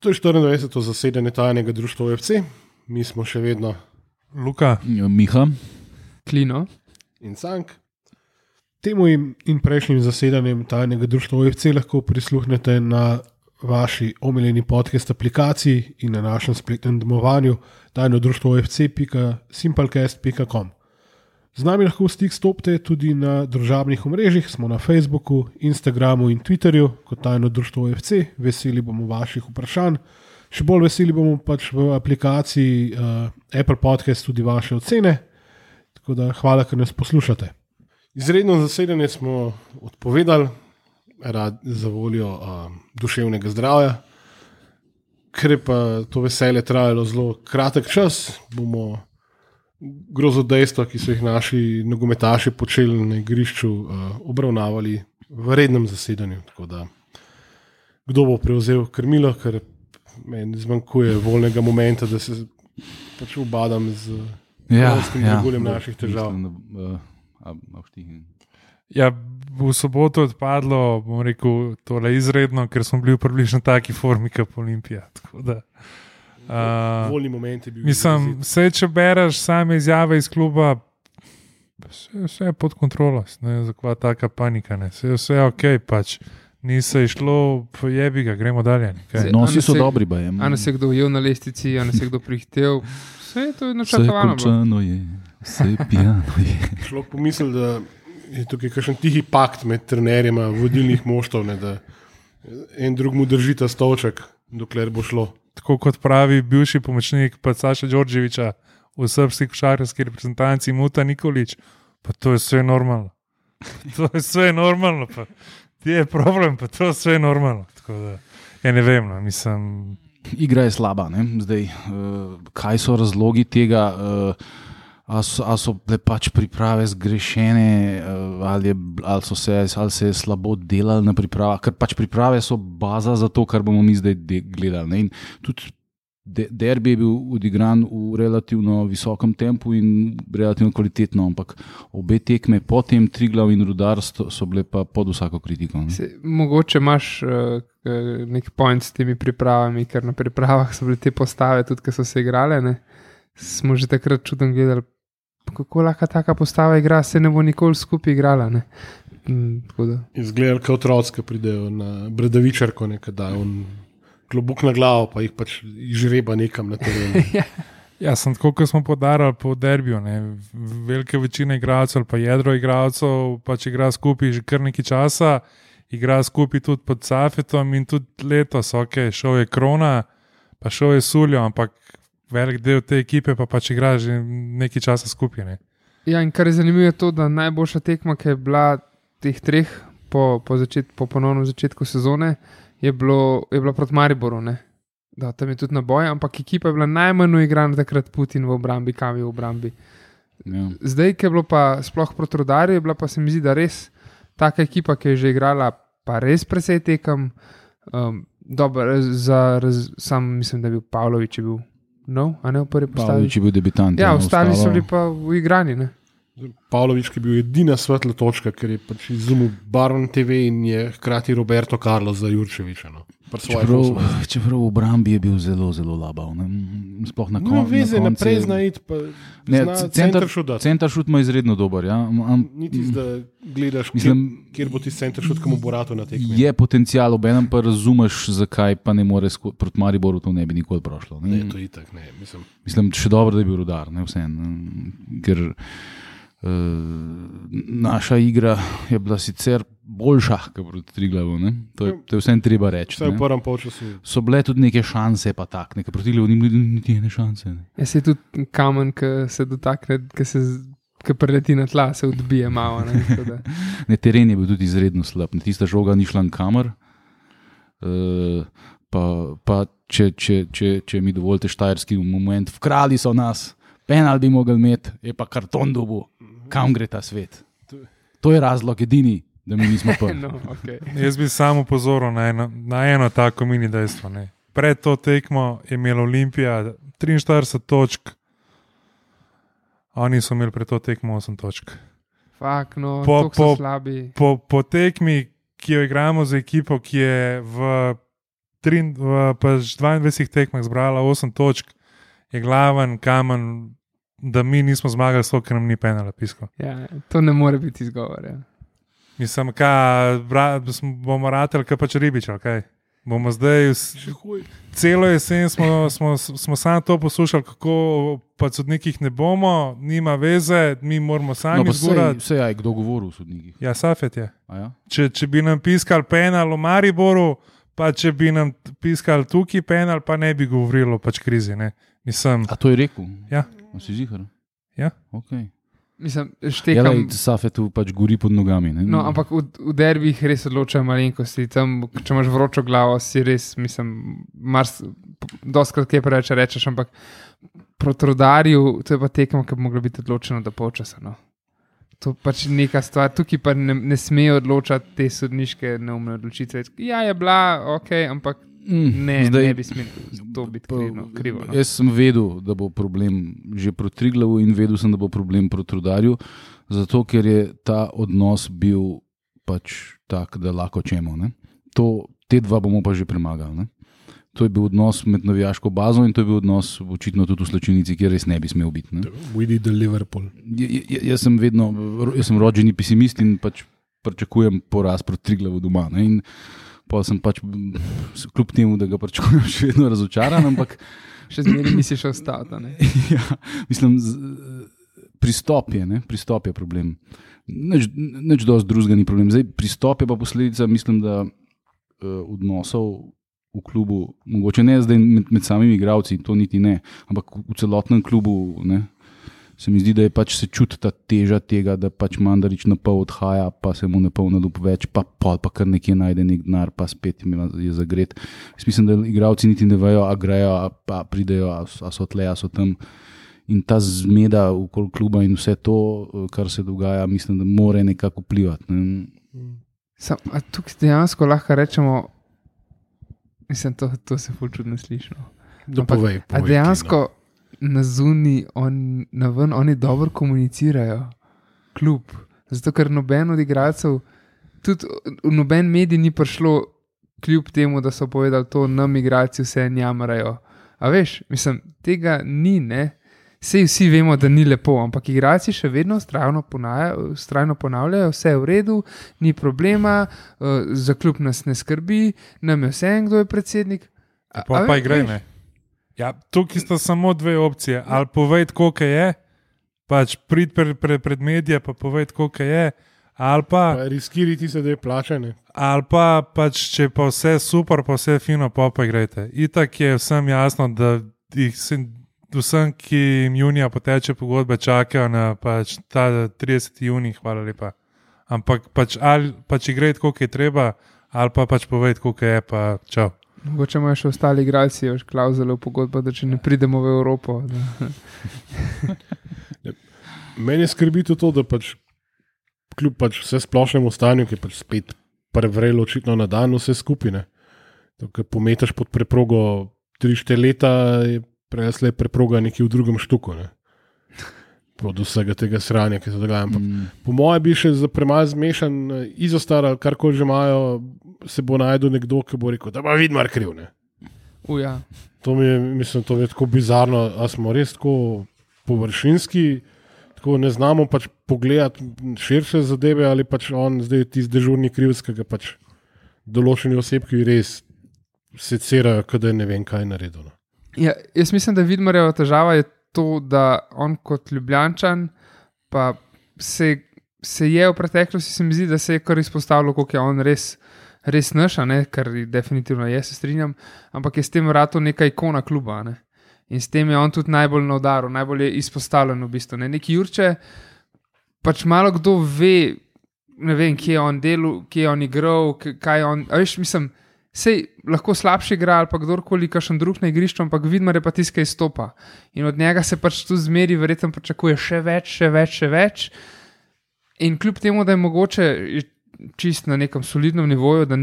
To je 24. zasedanje tajnega društva OFC. Mi smo še vedno Luka, Miha, Klino in Cank. Temu in prejšnjim zasedanjem tajnega društva OFC lahko prisluhnete na vaši omiljeni podcast aplikaciji in na našem spletnem domovanju tajnodruštvofc.simplecast.com. Z nami lahko v stik stopite tudi na družabnih omrežjih, smo na Facebooku, Instagramu in Twitterju kot Tajno društvo OFC. Veseli bomo vaših vprašanj. Še bolj veseli bomo pač v aplikaciji Apple Podcast tudi vaše ocene. Tako da hvala, ker nas poslušate. Izredno zasedanje smo odpovedali za voljo duševnega zdravja. Ker je pa to veselje trajalo zelo kratek čas, bomo grozodejstva, ki so jih naši nogometaši počeli na igrišču, obravnavali v rednem zasedanju. Tako da, kdo bo prevzel krmilo, ker meni zmanjkuje voljnega momenta, da se pač ubadam z reguljem naših težav. Ja, v soboto odpadlo, bom rekel, tole izredno, ker smo bili v približno taki formi kot Olimpija. Tako da voljni moment je bil. Mislim, če bereš same izjave iz kluba, vse je pod kontrolo, ne, zakva taka panika, ne. Vse je ok, pač ni se išlo, jebi ga, gremo dalje. No, vsi so dobri, bajem. A nas je kdo ujel na lestici, a nas je kdo prihtel. Vse je to načrtovano. Vse končano je, vse pijano je. Človek pomisli, da je tukaj kakšen tihi pakt med trenerjema vodilnih moštov, ne, da en drugmu držita stolček, dokler bo šlo. Tako kot pravi bivši pomočnik pa Saša Đorđevića v srpski košarkarski reprezentanci Muta Nikolić, pa to je sve normalno. To je sve normalno, pa ti je problem, pa to je sve normalno. Tako da, ja ne vem, no, mislim. Igra je slaba, ne? Zdaj, kaj so razlogi tega, ali so bile pač priprave zgrešene, ali se je slabo delali na pripravah, ker pač priprave so baza za to, kar bomo mi zdaj gledali. Ne? In tudi derbi je bil odigran v relativno visokem tempu in relativno kvalitetno, ampak obe tekme potem Triglav in Rudar so bile pa pod vsako kritiko. Mogoče imaš nek point s temi pripravami, ker na pripravah so bile te postave, tudi ki so se igrale, ne? Smo že takrat čudno gledali, kako lahko taka postava igra, se ne bo nikoli skupaj igrala. Ne? Izgledali kot otroci, ki pridejo na Bradavičarko, da on klobuk na glavo, pa jih pač žreba nekam na terenu. Ja, sem tako, kot smo podarali po derbiju. Ne? Velika večina igralcev, pa jedro igralcev, pač igra skupaj že kar nekaj časa, igra skupaj tudi pod Safetom in tudi letos, ok, šel je Krona, pa šel je Suljo, ampak velik del te ekipe pa pač igra že nekaj časa skupaj. Ne? Ja, in kar je zanimivo je to, da najboljša tekma, ki je bila teh treh po ponovnem začetku sezone, je bila proti Mariboru. Ne? Da, tam je tudi naboj, ampak ekipa je bila najmanj uigrana takrat Putin v obrambi, Kavi v obrambi. Ja. Zdaj, ki je bilo pa sploh proti Rudarju, je bila pa se mi zdi, da res taka ekipa, ki je že igrala pa res presej tekem. Sam mislim, da je bil Pavlović je bil a ne v prvi postavi. Pavlović je bil debitant. Ja, ostali so bili pa v igrani. Ne? Pavlović, ki je bil edina svetla točka, ker je pač izumil Baron TV in je hkrati Roberto Carlos za Jurčevića. No. Čeprav v obrambi je bil zelo, zelo labav. Sploh na koncu. Veze naprej zna iti, pa zna centeršut dati. Centeršut ima izredno dober. Ja. Niti da gledaš, kjer bo ti centeršut, kam bo rato na tekmi. Je potencial, obenem pa razumeš, zakaj pa ne more proti Mariboru to ne bi nikoli prošlo. Ne, to itak ne. Mislim, še dobro, da je bil Rudar, ne vseeno. Ker naša igra je bila sicer boljša kot proti Triglavu, to je vseeno treba reči. Vse v prvem polčasu. So bile tudi neke šanse, pa tak, neke proti Triglavu ni bilo niti ene šanse. Ne. Ja, se je tudi kamen, ki se dotakne, ki preleti na tla, se odbije malo. Ne, teren je bil tudi izredno slab, tista žoga ni šla nikamer. Pa če mi dovolite štajerski moment, vkrali so nas, penal bi mogli imeti, je pa karton dobu. Kam gre ta svet? To je razlog edini, da mi nismo prvi. No, okay. Jaz bi samo upozoril na eno tako mini dejstvo. Ne. Pred to tekmo je imela Olimpija 43 točk, oni so imeli pred to tekmo 8 točk. Fak, no, tako so slabi. Po tekmi, ki jo igramo z ekipo, ki je v 22 tekmah zbrala 8 točk, je glaven kamen, da mi nismo zmagali, zato ker nam ni penala pisko. Ja, to ne more biti izgovor. Ja. Mislim, bomo rateli, kaj pač ribič, kaj. Bomo zdaj, celo jesen smo samo to poslušali, kako pač sodnikih ne bomo, nima veze, mi moramo sami zgurati. Vse je, kdo govori o sodnikih? Ja, Safet je. Ja? Če bi nam piskal penal v Mariboru, pa če bi nam piskal tukaj penal, pa ne bi govorilo pač krizi. Ne? Mislim, a to je rekel? Ja. A si zihar? Ja. Okay. Mislim, štekam. Safetu pač gori pod nogami. Ne? No, ampak v derbih res odločajo malenkosti. Tam, če imaš vročo glavo, si res, mislim, doskrat kaj preveč rečeš, ampak proti Rudarju, to je pa tekmo, ki bi moglo biti odločeno do polčasa. No. To pač neka stvar, tukaj pa ne smejo odločati te sodniške neumne odločitve. Ja, je bila, ok, ampak ne bi smeli to biti krivo. No. Jaz sem vedel, da bo problem že proti Triglavu in vedel sem, da bo problem proti Rudarju, zato ker je ta odnos bil pač tak, da lahko čemo. Ne? Te dva bomo pa že premagali. Ne? To je bil odnos med navijaško bazo in to je bil odnos očitno tudi v Slačenici, kjer res ne bi smel biti. Ne? We did the Liverpool. Jaz sem rođeni pesimist in pač pričakujem poraz proti Triglavu doma. Ne? In pa sem pač, kljub temu, da ga pričakujem, še vedno razočaran, ampak še zmeraj misliš ostati. Ja, mislim, pristop je problem. Nič dosti drugega ni problem. Zdaj, pristop je pa posledica, mislim, da odnosov v klubu, mogoče ne zdaj med samimi igralci, to niti ne, ampak v celotnem klubu, ne, se mi zdi, da je pač se čuti ta teža tega, da pač Mandarić na pol odhaja, pa se mu ne pol nadup več, pa kar nekje najde nek denar, pa spet je zagret. Jaz mislim, da igralci niti ne vejo, a grejo, a pridejo, a so tle, a so tam. In ta zmeda okoli kluba in vse to, kar se dogaja, mislim, da more nekako vplivati. Ne. Tukaj dejansko lahko rečemo, mislim, to se ful čudno sliši. Povej, a dejansko na zuni, oni dobro komunicirajo, klub. Zato, ker noben od igralcev, tudi v noben medij ni prišlo kljub temu, da so povedali to, nam igralci vse njamrajo. A veš, mislim, tega ni, ne? Sej vsi vemo, da ni lepo, ampak igralci še vedno vztrajno ponavljajo, vse je v redu, ni problema, za klub nas ne skrbi, nam je vse en, kdo je predsednik. Pa igraj, ne? Ja, tukaj sta samo dve opcije. Ali povejte, koliko je, pač prid pred medije, pa povejte, koliko je, ali pa riskiriti se, da je plačane. Ali pa pač, če pa vse super, pa vse fino, pa igrajte. Itak je vsem jasno, da vsem, ki jim junija poteče pogodbe, čakajo na pač ta 30. junij, hvala lepa. Ampak pač igrajte, koliko je treba, ali pa pač povejte, koliko je, pa čau. Mogoče imajo še ostali igralci, još klauzule v pogodbo, da če ne pridemo v Evropo. Meni je skrbi to, da pač kljub pač vse splošnemu stanju, ki je pač spet prevrelo očitno na dan vse skupine. Ko pometaš pod preprogo 3-4 leta, je prejasle preproga nekje v drugem štuku. Ne? Od vsega tega sranja, ki se dogaja. Po mojem bi še za premalo zmešan izostar, karkoli že imajo, se bo najdel nekdo, ki bo rekel, da pa Vidmar kriv. Ne? Ja. To mi je tako bizarno, a smo res tako površinski, tako ne znamo pač pogledati širše zadeve, ali pač on zdaj tisti dežurni krivec, ki ga pač določeni osebki res secirajo, kada je ne vem kaj naredilo. Ja, jaz mislim, da Vidmarjeva težava je to, da on kot Ljubljančan pa se je v preteklosti, se mi zdi, da se je kar izpostavilo, koliko je on res naša, ne? Kar definitivno je, se strinjam, ampak je s tem vratu neka ikona kluba. Ne? In s tem je on tudi najbolj na udaru, najbolj je izpostavljen v bistvu. Ne? Neki Jurče, pač malo kdo ve, ne vem, kje je on delal, kje je on igral, kaj je on, a veš, mislim, sej lahko slabši igra ali pa kdorkoli kakšen drug na igrišču, ampak Vidmar je pa tisti, ki izstopa. In od njega se pač tu zmeri verjetno pričakuje še več. In kljub temu, da je mogoče čist na nekem solidnem nivoju, da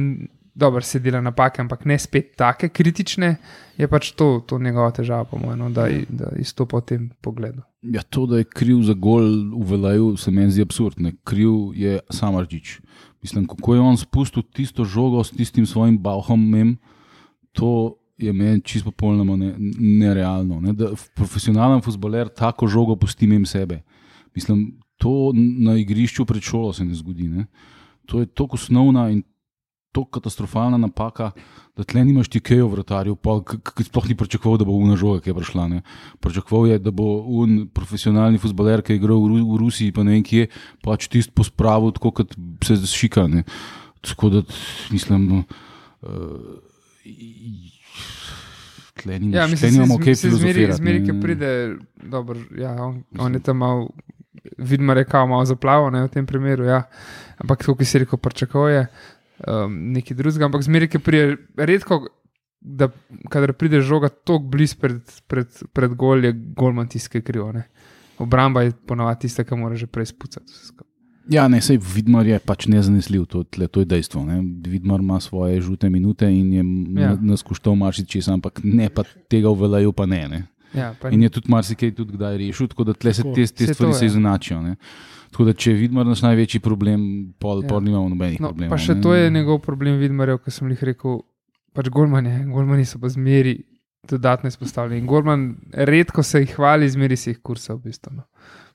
dobro se dela napake, ampak ne spet take kritične, je pač to njegova težava, po mojem, da izstopa v tem pogledu. Ja, to, da je kriv za gol v Velaju, se meni zdi absurd. Ne? Kriv je Samardžić. Mislim, kako je on spustil tisto žogo s tistim svojim bahom, to je meni čisto popolnoma nerealno. Ne? Da profesionalen fuzbaler tako žogo pusti mimo sebe. Mislim, to na igrišču pred šolo se ne zgodi. Ne? To je tako osnovna in tako katastrofalna napaka, da tle nimaš ti kaj v vratarju, ki sploh ni pričakoval, da bo una žoga, ki je prišla. Ne? Pričakoval je, da bo profesionalni fuzbaler, ki je igral v Rusiji, pa ne vem kje, pač tisto pospravil, tako kot se šika. Ne? Tako da, mislim, tle nimamo kaj filozofirati. Zmeri, ki pride, dobro, ja, on je tam malo, Vidmar je kao malo zaplaval, ne, v tem primeru, ja. Ampak tako, ki si rekel, pričakuje nekaj drugega, ampak zmeri, ki pride, redko, da kadar pride žoga toliko bliz pred gol, je golman tisti, ki je krivo, ne. Obramba je ponavadi tista, ki mora že prej spucati. Ja, ne, sej Vidmar je pač nezanesljiv, to je dejstvo. Ne. Vidmar ima svoje žute minute in je nas koštal marsičesa, ampak ne pa tega v Velaju pa ne. Ja, in je tudi marsikaj tudi kdaj rešil, tako da tle se te stvari se izenačijo. Ne. Tako da če je Vidmar naš največji problem, pol nimamo nobenih problemov. Pa še to je njegov problem Vidmarjev, ko sem jih rekel, pač golmani so pa zmeri dodatno izpostavljeni. Golman redko se jih hvali, zmeri se jih kursa v bistvu. No.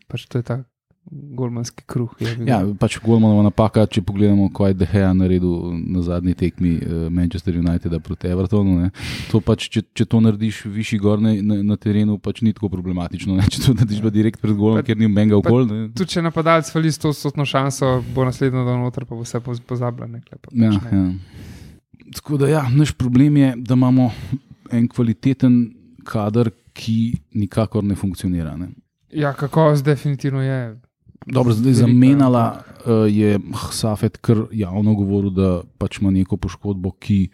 Pač to je ta golmanski kruh. Ja, pač golmanova napaka, če pogledamo, kaj je De Gea naredil na zadnji tekmi Manchester Uniteda proti Evertonu. Ne. To pač, če to narediš višji gor na terenu, pač ni tako problematično. Ne. Če to narediš pa direkt pred golom, ker ni menga v gol. Tudi če napadalec fali 100% šanso, bo naslednjo dan noter, pa bo vse pozabljeno. Ja. Tako da ja, naš problem je, da imamo en kvaliteten kader, ki nikakor ne funkcionira. Ne. Ja, kakovost definitivno je. Dobro, zdaj zamenjala je Safet kar javno govoril, da pač ima neko poškodbo, ki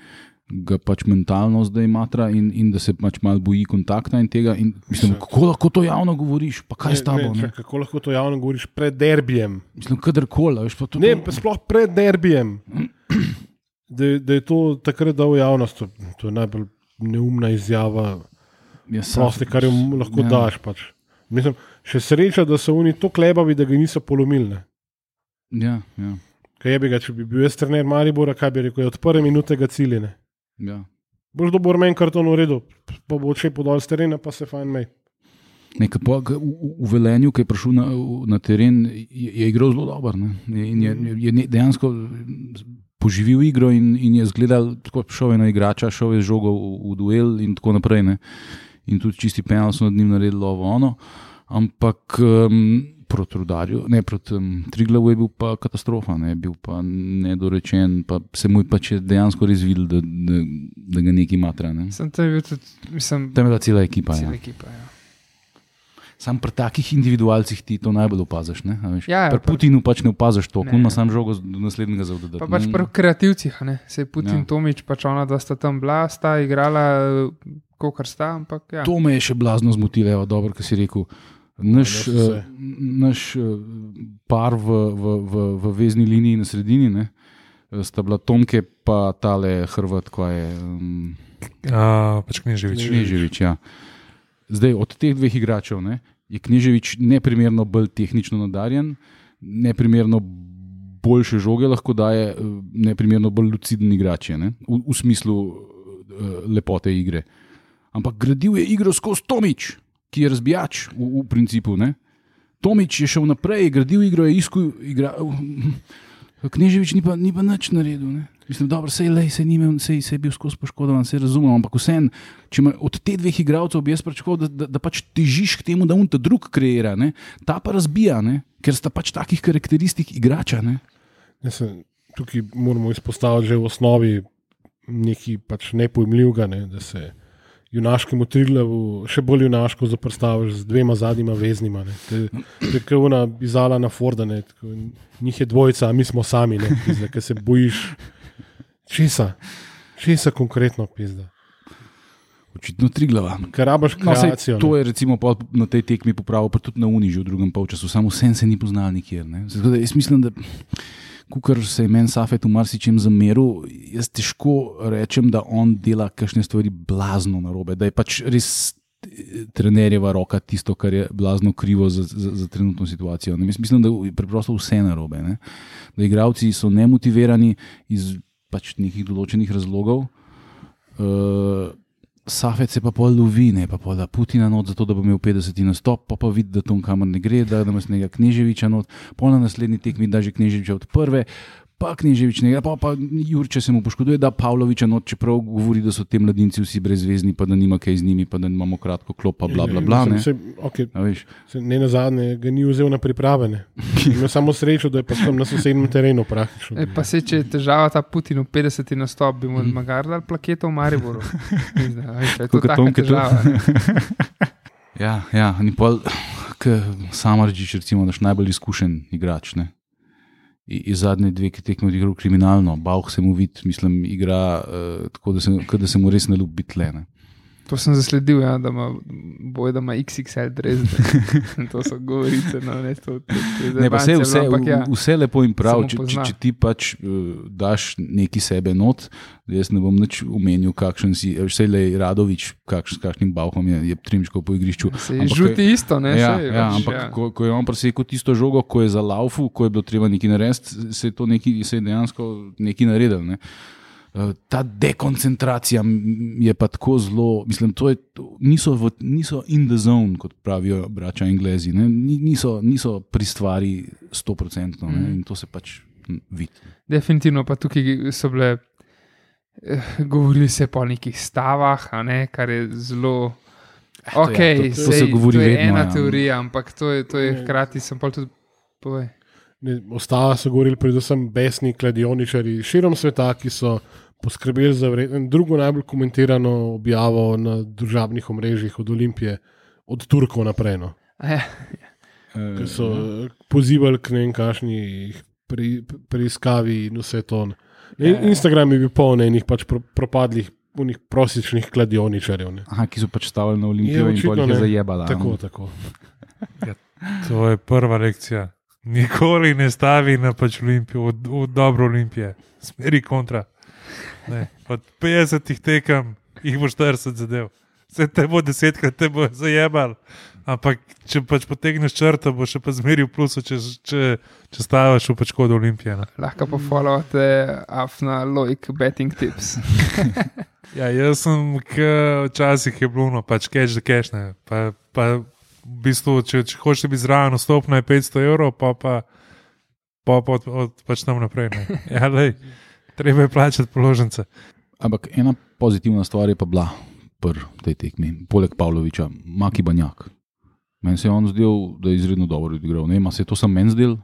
ga pač mentalno zdaj matra in da se pač malo boji kontakta in tega. In mislim, kako lahko to javno govoriš? Pa kaj s tabo? Kako lahko to javno govoriš pred derbijem? Mislim, kadarkoli. Ne, sploh pred derbijem. Da je to takrat dal javnost. To je najbolj neumna izjava. Prosti, kar jo lahko daš pač. Mislim, še sreča, da so oni to klebavi, da ga niso polomili. Ja. Kaj je bi ga, če bi bil jaz trener Maribora, kaj bi rekel, od prve minute ga ciljene. Ja. Boš dobil meni karton v redu, pa bo odšel podal z terena, pa se fajn mej. V Velenju, ki je prišel na teren, je igral zelo dober. Je dejansko poživil igro in je zgledal, tako šel je na igrača, šel je z žogo v duel in tako naprej. Ne. In tudi čisti penal so nad njim naredili ono, ampak proti Rudarju, ne proti Triglavu je bil pa katastrofa, ne, bil pa nedorečen, pa se mu je pač dejansko res videl, da ga nekaj matra. Ne. Tam je bila cela ekipa. Ja. Sam pri takih individualcih ti to najbolj opaziš. Ja, pri Putinu pač ne opaziš to, ko ima sam žogo do naslednjega zavdodati. Pa pač pri kreativcih, se je Putin, Tomič, pač ona dva sta tam bila, sta igrala kakor sta, ampak ja. To me je še blazno zmotilo, dobro, kar si rekel. Naš par v vezni liniji na sredini, ne, sta bila Tomke pa tale Hrvat, ko je pač Knežević, ja. Zdaj, od teh dveh igračev, ne, je Knežević neprimerno bolj tehnično nadarjen, neprimerno boljše žoge lahko daje, neprimerno bolj luciden igrač je, ne, v smislu lepote igre. Ampak gradil je igro skozi Tomič, ki je razbijač v principu. Ne? Tomič je šel naprej, gradil igro, je iskal igro. Knežević ni pa nič naredil. Ne? Mislim, dobro, sej je bil skozi poškodovan, se razumem, ampak vseeno, če od te dveh igralcev bi jaz pričakoval, da pač težiš k temu, da on ta drug kreira, ne? Ta pa razbija, ne? Ker sta pač takih karakteristik igrača. Ne? Tukaj moramo izpostaviti že v osnovi nekaj pač nepojmljivega, ne? Da se junaškemu Triglavu še bolj junaško zoprstaviš z dvema zadnjima veznima. To je kot ona izala na Forda, ne? Njih je dvojica, a mi smo sami, ker se bojiš česa konkretno pizda. Očitno Triglava. Ker rabaš kreacijo. To je recimo na tej tekmi popravil, pa tudi na Uniži v drugem polčasu, samo vsem se ni poznal nikjer. Ne? Zato, jaz mislim, da kukor se je meni Safet v marsičem zameril, jaz težko rečem, da on dela kakšne stvari blazno narobe, da je pač res trenerjeva roka tisto, kar je blazno krivo za trenutno situacijo. Ne? Mislim, da je preprosto vse narobe. Ne? Da igralci so nemotivirani iz pač nekih določenih razlogov. Safet se pa pol lovi, ne pa pol da Putina not, zato da bo imel 50 nastop, pa vidi, da tom kamor ne gre, da ima snega Kneževiča not, pol na naslednji tekmi da že Kneževiča od prve, pa Kneževič ne gre, pa Jurče se mu poškoduje, da Pavloviča not, čeprav govori, da so te mladinci vsi brezvezni, pa da nima kaj z njimi, pa da imamo kratko klop, pa bla bla bla. Ne nazadnje ga ni vzel na priprave. Imel samo srečo, da je pa tam na sosednjem terenu praktično. Pa se, če je težava ta Putin v 50 nastop, bi mu magar dal plaketo v Mariboru. Je to taka težava. Ja, ni pol, Samardžič recimo naš najbolj izkušen igrač, ne. Iz zadnje dve, ki tekme odigral kriminalno, Bauh se mu vidi, mislim, igra tako, da se mu res ne ljubi biti tle, ne. To sem zasledil, ja, da ima XXL dres. To so govorice. No, ne, pa vse lepo in prav, če ti pač daš neki sebe not, jaz ne bom nič omenil, kakšen si, vsej Radovič, kakšnim Bauhom je trimčkal po igrišču. Se je žuti isto, ne? Ampak ko je on presekal tisto žogo, ko je za laufu, ko je bilo treba nekaj narediti, se je dejansko nekaj naredil, ne. Ta dekoncentracija je pa tako zelo, mislim, niso in the zone, kot pravijo braća Englezi, ne? Niso pri stvari 100%, ne? In to se pač vidi. Definitivno pa tukaj so bile, govorili se po nekih stavah, ne? Kar je zelo, to se govori vedno. To je ena teorija, ampak to je hkrati, sem pa tudi povej. Ostala so govorili predvsem besni kladioničari širom sveta, ki so poskrbeli za drugo najbolj komentirano objavo na družabnih omrežjih od Olimpije, od Turkov naprej. No. Ki so pozivali k nekaj kašni preiskavi in vse to. Instagram je bil poln enih pač propadlih, unih prosičnih kladioničarjev. Ne. Aha, ki so pač stavili na Olimpijo in pol jih je zajebala. Tako. To je prva lekcija. Nikoli ne stavi na pač Olimpijo, v dobro Olimpije, smeri kontra. Ne. Od 50 tekem jih bo 40 zadev. Vse te bo 10krat, te bo zajebal. Ampak če pač potegneš črto, bo še pa zmeri v plusu, če staviš v pač kod Olimpije. Ne. Lahko pa followate Afna Loik betting tips. Ja, jaz sem, včasih je bilo, pač catch the cash, ne. Pa v bistvu, če hočeš biti zraven, vstopno je 500 €, pa pač tam naprej. Ne. Ja, lej, treba je plačati položnice. Ampak ena pozitivna stvar je pa bila pri tej tekmi, poleg Pavloviča, Maki Banjak. Meni se je on zdel, da je izredno dobro odigral. Ne, se je to sam meni zdel?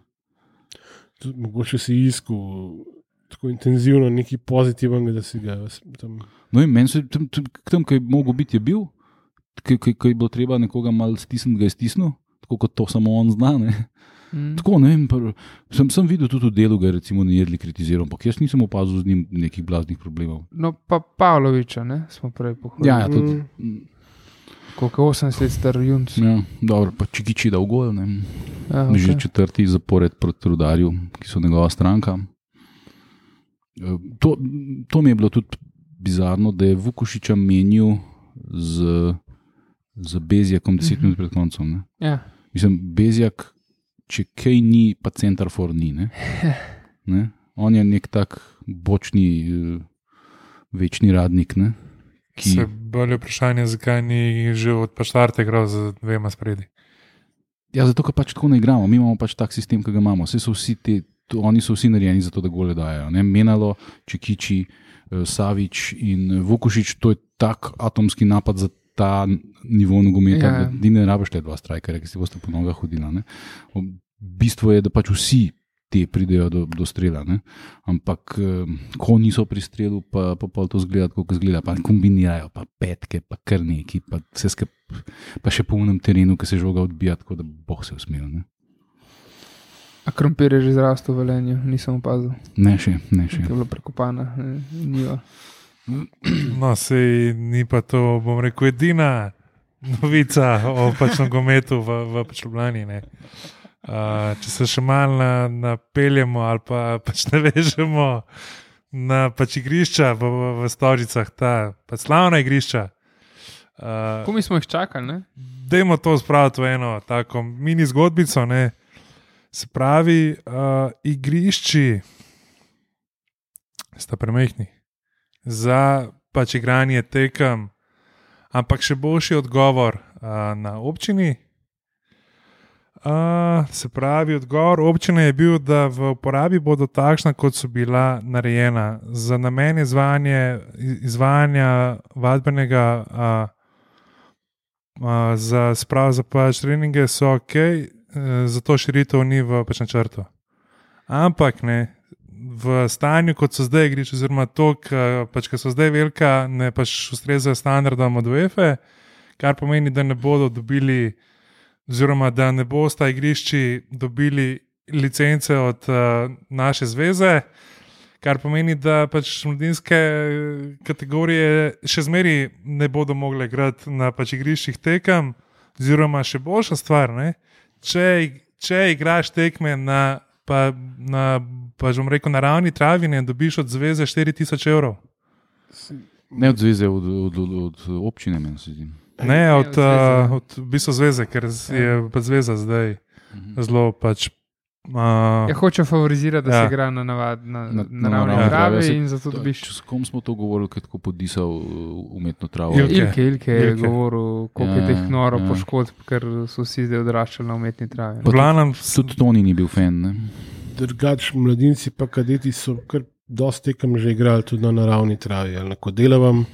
Mogoče si iskal tako intenzivno nekaj pozitivnega, da si ga tam... No in meni se tam, kaj je mogel biti, je bil, kaj je bilo treba nekoga malo stisniti, ga je stisnil, tako kot to samo on zna, ne. Tako, ne vem, sem videl tudi v delu, ga je recimo Nejedli kritiziral, ampak jaz nisem opazil z njim nekih blaznih problemov. No pa Pavloviča, ne, smo prej pohvalili. Ja, tudi. Koliko 80 let star junc. Ja, dobro, pa Čikiči dal gol, ne. Ja, okay. Že 4. zapored proti Rudarju, ki so njegova stranka. To mi je bilo tudi bizarno, da je Vukušiča menil z Bezjakom 10 minut pred koncem. Ne? Ja. Mislim, Bezjak, če kaj ni, pa center for ni. Ne? On je nek tak bočni, večni radnik. Ne? Se bolje vprašanje, zakaj ni že od štarte igral z 2 spredi. Ja, zato, ker pač tako ne igramo. Mi imamo pač tak sistem, ki ga imamo. Oni so vsi narejeni za to, da gole dajo. Ne? Menalo, Čikiči, Savič in Vukušič, to je tak atomski napad za ta nivo nogometa, da ne rabiš te 2 strajkerja, ki si boste po nogah hodila. Ne? Bistvo je, da pač vsi te pridejo do strela. Ne? Ampak, ko niso pri strelu, pa to zgleda, kako zgleda, pa kombinirajo, pa petke, pa kar neki, pa vse pa še po unem terenu, ki se žoga odbija, tako da boh se usmel. Ne? A krompir je že zrastel v Velenju, nisem opazil. Ne še. Je bilo prekopana, njiva. No, sej ni pa to, bom rekel, edina novica o pač nogometu v pač Ljubljani. Če se še malo napeljemo ali pa pač navežemo na pač igrišča v Stožicah, ta pač slavna igrišča. Ko mi smo jih čakali, ne? Dajmo to spraviti v eno tako mini zgodbico, ne? Se pravi, igrišči sta premehni za pač igranje tekem, ampak še boljši odgovor na občini. Se pravi, odgovor občine je bil, da v uporabi bodo takšna, kot so bila narejena. Za namen izvajanja vadbenega za pač treninge so ok, zato širitev ni v pač načrtu. Ampak ne, v stanju, kot so zdaj igrišča, oziroma to, pač, ki so zdaj velika, ne pač ustrezajo standardom od UEFA, kar pomeni, da ne bodo dobili, oziroma da ne bosta igrišči dobili licence od naše zveze, kar pomeni, da pač mladinske kategorije še zmeri ne bodo mogle igrati na pač igriščih tekem, oziroma še boljša stvar, ne? Če igraš tekme na ravni travi, ne dobiš od zveze 4000 evrov. Ne od zveze, od občine, meni se zdi. Ne, od v bistvu zveze, ker je pa zveza zdaj zelo pač. Hoče favorizirati, da se igra na ravni travi in zato dobiš. S kom smo to govorili, kad ko podisal umetno travo? Ilke je govoril, koliko je teh noro poškodb, ker so vsi zdaj odraščali na umetni travi. Tudi Toni ni bil fan, ne? Drugač, mladinci pa kadeti so kar dosti tekem že igrali tudi na naravni travi, ali na Kodelavam,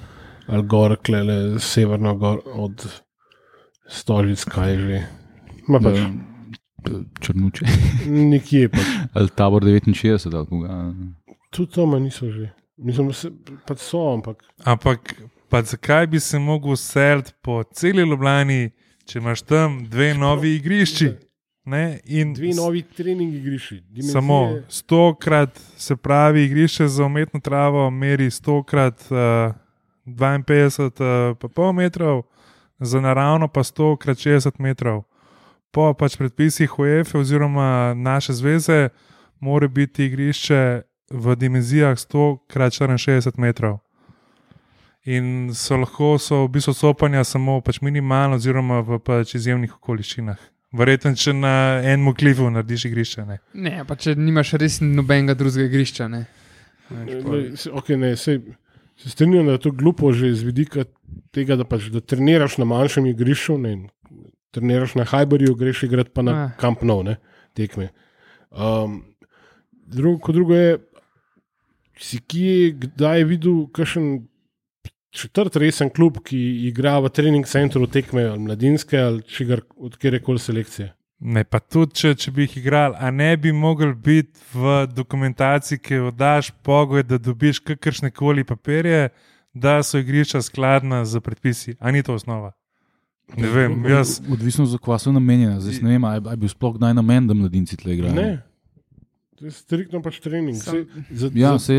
ali gor, klele, severno gor od Stožic, kaj že. Ma pač. Črnuče. Nikje pač. Ali Tabor 69, ali koga. Tudi to niso že. Mislim, pač so, ampak. Ampak, pa zakaj bi se mogel seliti po celi Ljubljani, če imaš tam 2 novi igrišči? Ne? In 2 novi trening igrišči. Samo 100-krat, se pravi, igrišče za umetno travo meri 100-krat 52,5 metrov, za naravno pa 100-krat 60 metrov. Po pač predpisih UEFA oziroma naše zveze mora biti igrišče v dimenzijah 100x64 metrov. In v bistvu sopanja samo pač minimalno oziroma v pač izjemnih okoliščinah. Verjetno, če na enem klifu narediš igrišče. Ne, pa če nimaš res nobenega drugega igrišča. Se strinjam, da je to glupo že z vidika tega, da treniraš na manjšem igrišču, treniraš na Hajberju, greš igrati pa na Camp Nou, tekme. Drugo je, si kdaj videl kakšen četrt resen klub, ki igra v trening centru tekme ali mladinske ali od kjerekoli selekcije? Ne, pa tudi, če bi jih igrali, a ne bi mogel biti v dokumentaciji, ki jo daš pogoj, da dobiš kakršne koli papirje, da so igrišča skladna z predpisi. A ni to osnova? Ne vem, jaz. Odvisno za kva so namenjena. Zdaj ne vem, a je bil sploh kdaj namen, da mladinci tle igrajo. Ne, to je striktno pač trening. Jaz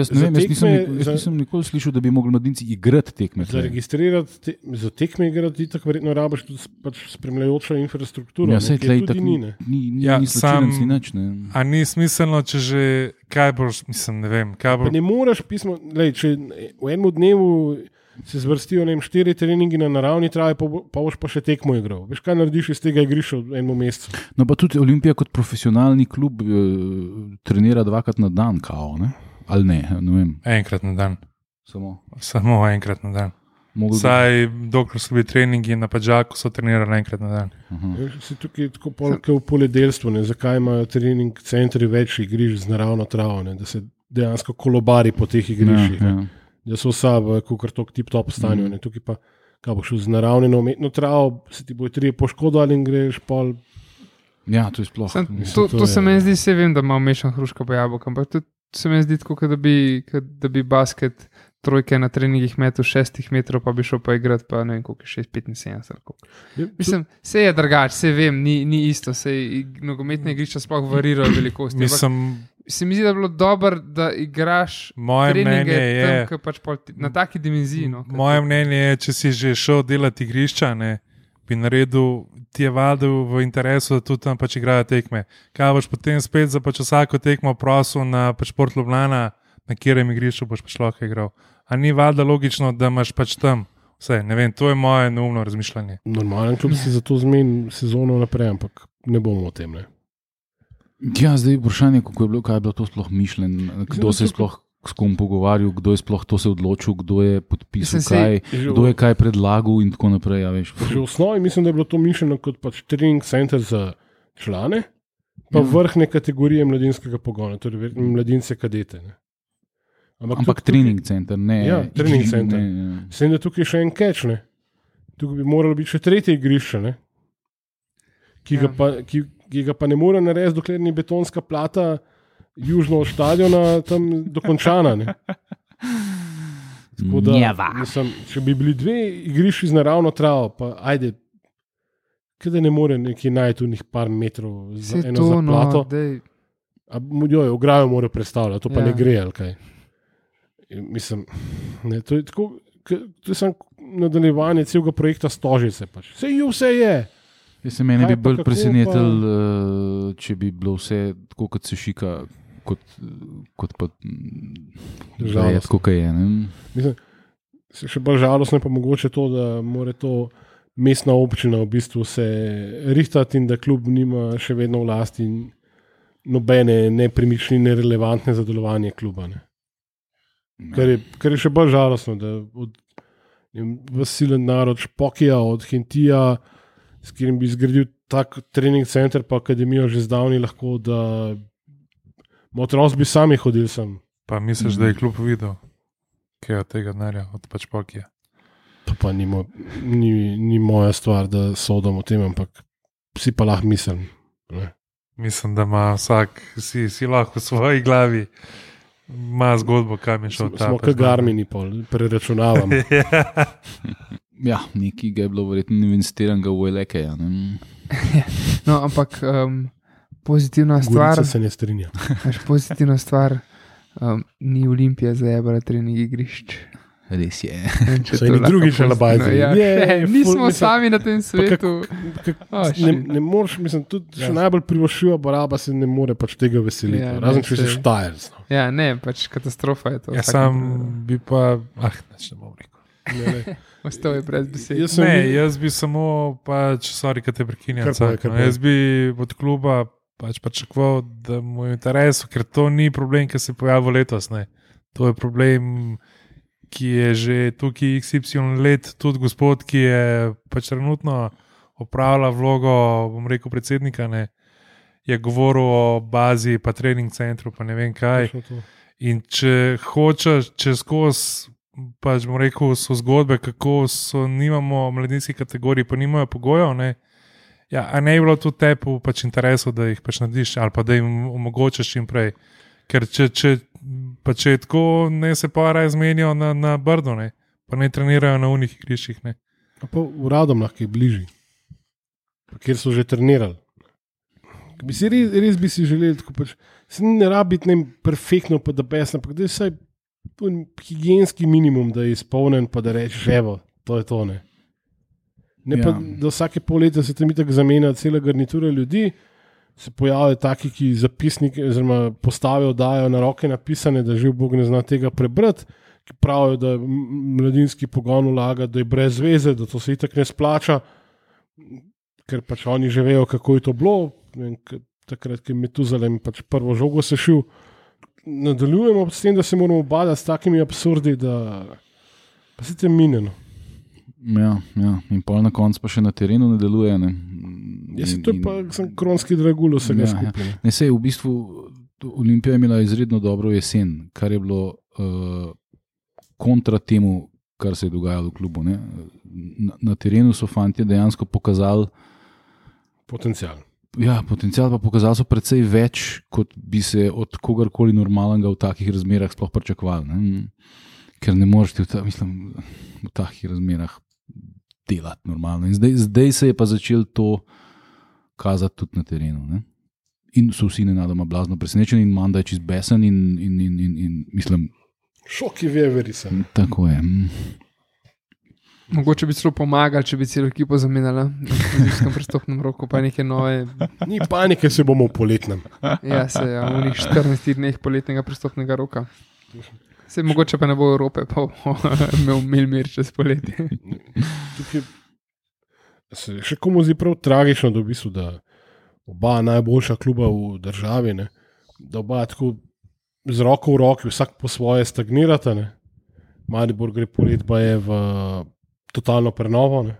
ne vem, jaz nisem nikoli slišal, da bi mogli mladinci igrati tekme. Za registrirati, za tekme igrati, tako verjetno rabiš tudi pač spremljajočo infrastrukturo. Ja, sej tle itak ni slučilnic ni nič. A ni smiselno, če že, kaj boš, mislim, ne vem, kaj boš. Pa ne moreš pismo, če v enem dnevu se zvrstijo 4 treningi na naravni travi, pa boš pa še tekmo igral. Veš, kaj narediš iz tega igrišča v enem mesecu? No pa tudi Olimpija kot profesionalni klub trenira 2-krat na dan, kao, ne? Ali ne vem. Enkrat na dan. Samo enkrat na dan. Saj, dokler so bili treningi na Padžaku, so trenirali enkrat na dan. Se tukaj je tako polke v poljedelstvu, zakaj imajo trening centri več igrišč z naravno travo, da se dejansko kolobari po teh igriščih. Da so vsa v tok tip-top stanju. Tukaj pa, kaj boš z naravno na umetno travo, se ti bojo 3 poškodovali in greš pol. Ja, to je sploh. To se meni zdi, se vem, da ima mešan hruška pa jabolka, ampak tudi se meni zdi tako, da bi basket trojke na treningih metu 6 metrov, pa bi šel pa igrati, pa ne vem, koliko je 6,75. Mislim, se je drugače, se vem, ni isto, se nogometne igrišča sploh varirajo velikosti. Se mi zdi, da je bilo dobro, da igraš treninge tam, pač na taki dimenziji. Moje mnenje je, če si že šel delati igrišča, bi naredil, ti je valjda v interesu, da tudi tam pač igrajo tekme. Kaj boš potem spet za pač vsako tekmo prosil na pač Šport Ljubljana, na katerem igrišču boš pač lahko igral. A ni valjda logično, da imaš pač tam vse, ne vem, to je moje neumno razmišljanje. Normalen klub si zato zmeni sezono naprej, ampak ne bomo o tem, Ja, zdaj vprašanje, kako je bilo, kaj je bilo to sploh mišljen, kdo se je sploh s kom pogovarjal, kdo je sploh to se odločil, kdo je podpisal Mislim, kdo je kaj predlagal in tako naprej. Ja, veš. Že v osnovi mislim, da je bilo to mišljeno kot pač trening center za člane, pa vrhne kategorije mladinskega pogona, torej mladince kadete. Ne. Ampak trening center, ne. Ja, trening center. Ne. Sem da tukaj še en catch, ne. Tukaj bi moralo biti še tretje igrišče, ne. Ki ga pa ne more narediti, dokler ni betonska plata južno od stadiona tam dokončana. Ne. Da, mislim, če bi bili dve igrišči z naravno travo, pa ajde, kada ne more neki najti v njih par metrov za eno zaplato. Ograjo mora predstavljati, to pa ne gre, ali kaj. Mislim, ne, to je tako, to je samo nadaljevanje celega projekta Stožice. Pač. Vse je. Mene bi bolj presenetil, če bi bilo vse tako, kot se šika, kot pa žalostno, kot je. Mislim, še bolj žalostno je pa mogoče to, da mora to mestna občina v bistvu se rihtati in da klub nima še vedno v lasti nobene nepremičnine relevantne za delovanje kluba. Ne. Kar je še bolj žalostno, da vasilen narod Špokija, od Hentija, s katerim bi zgradil tak trening center pa akademijo že zdavni lahko, da otroci bi sami hodili sem. Pa misliš, da je klub videl, kaj je od tega denarja, od pač Špokija? To pa ni moja stvar, da sodim o tem, ampak si pa lahko mislim. Ne? Mislim, da ima vsak, si lahko v svoji glavi ima zgodbo, kam je šel ta. Smo kot Garmini, preračunavam. Ja, nekaj ga je bilo verjetno investiranega v Elekeja. No, ampak pozitivna stvar. Gorica se ne strinja. Pozitivna stvar, ni Olimpija zajebala trening igrišč. Res je. So eni drugi še labajzi. Nismo sami na tem svetu. Ne moreš, mislim, tudi še najbolj privošljiva baraba se ne more pač tega veseliti. Razen če si Štajerc. Ja, ne, pač katastrofa je to. Ja, sam bi pa, ne bom rekel. Ostal je brez besed. Jaz bi samo, pač, sorry, kad te prekinjam. Jaz bi od kluba pač pričakoval, da mu je interes, ker to ni problem, ki se je pojavil letos. Ne. To je problem, ki je že tukaj XY let, tudi gospod, ki je pač trenutno opravlja vlogo, bom rekel, predsednika, ne, je govoril o bazi, pa trening centru, pa ne vem kaj. In če hočeš, če skozi, pač bom rekel, so zgodbe, kako nimamo mladinskih kategorij, pa nimajo pogojev, ne, ja, a ne je bilo tudi tepu pač interesov, da jih pač narediš, ali pa da jim omogočaš čim prej. Ker če je tako, ne se pa raje zmenijo na Brdo, ne, pa ne trenirajo na unih igriščih. Pa v Radomljah, ki je bližji, kjer so že trenirali. Res bi si želeli, tako pač, se ne rabi biti perfektno, pa da besno, ampak da je vsaj higienski minimum, da je izpolnen, pa da rečeš, evo, to je to, ne. Ne pa, da vsake pol leta se tam itak zamenja cela garnitura ljudi, se pojavijo taki, ki zapisnike oziroma postavijo, dajo na roke napisane, da živ Bog ne zna tega prebrati, ki pravijo, da mladinski pogon vlaga, da je brez veze, da to se itak ne splača, ker pač oni že vejo, kako je to bilo. Takrat, ko je Metuzalem pač prvo žogo sešil, nadaljujemo s tem, da se moramo badati s takimi absurdi, da pa se tem mineno. Ja, in pol na koncu pa še na terenu ne deluje. Ne. To je pa kronski dragul vsega skupaj. Ne, sej, v bistvu Olimpija je imela izredno dobro jesen, kar je bilo kontra temu, kar se je dogajalo v klubu. Ne. Na terenu so fantje dejansko pokazali potencial. Ja, potencial pa pokazali so precej več, kot bi se od kogarkoli normalnega v takih razmerah sploh pričakovali. Ker ne moreš v takih razmerah delati normalno. In zdaj se je pa začelo to kazati tudi na terenu. Ne? In so vsi nenadoma blazno presenečeni in Manda je čist besen in mislim... Šok je veveri sem. Tako je. Mogoče bi celo pomagali, če bi celo ekipo zamenjala v nizkem prestopnem roku, pa neke nove... Ni panike, se bomo v poletnem. Ja, v njih 14 dneh poletnega prestopnega roka. Se mogoče pa ne bo Evrope, pa imel mir čez poletje. Tukaj se še komu zdi prav tragično, da, v bistvu, da oba najboljša kluba v državi, ne, da oba tako z roko v roki, vsak po svoje stagnirata. Ne? Maribor gre polet, pa je v totalno prenovo, ne?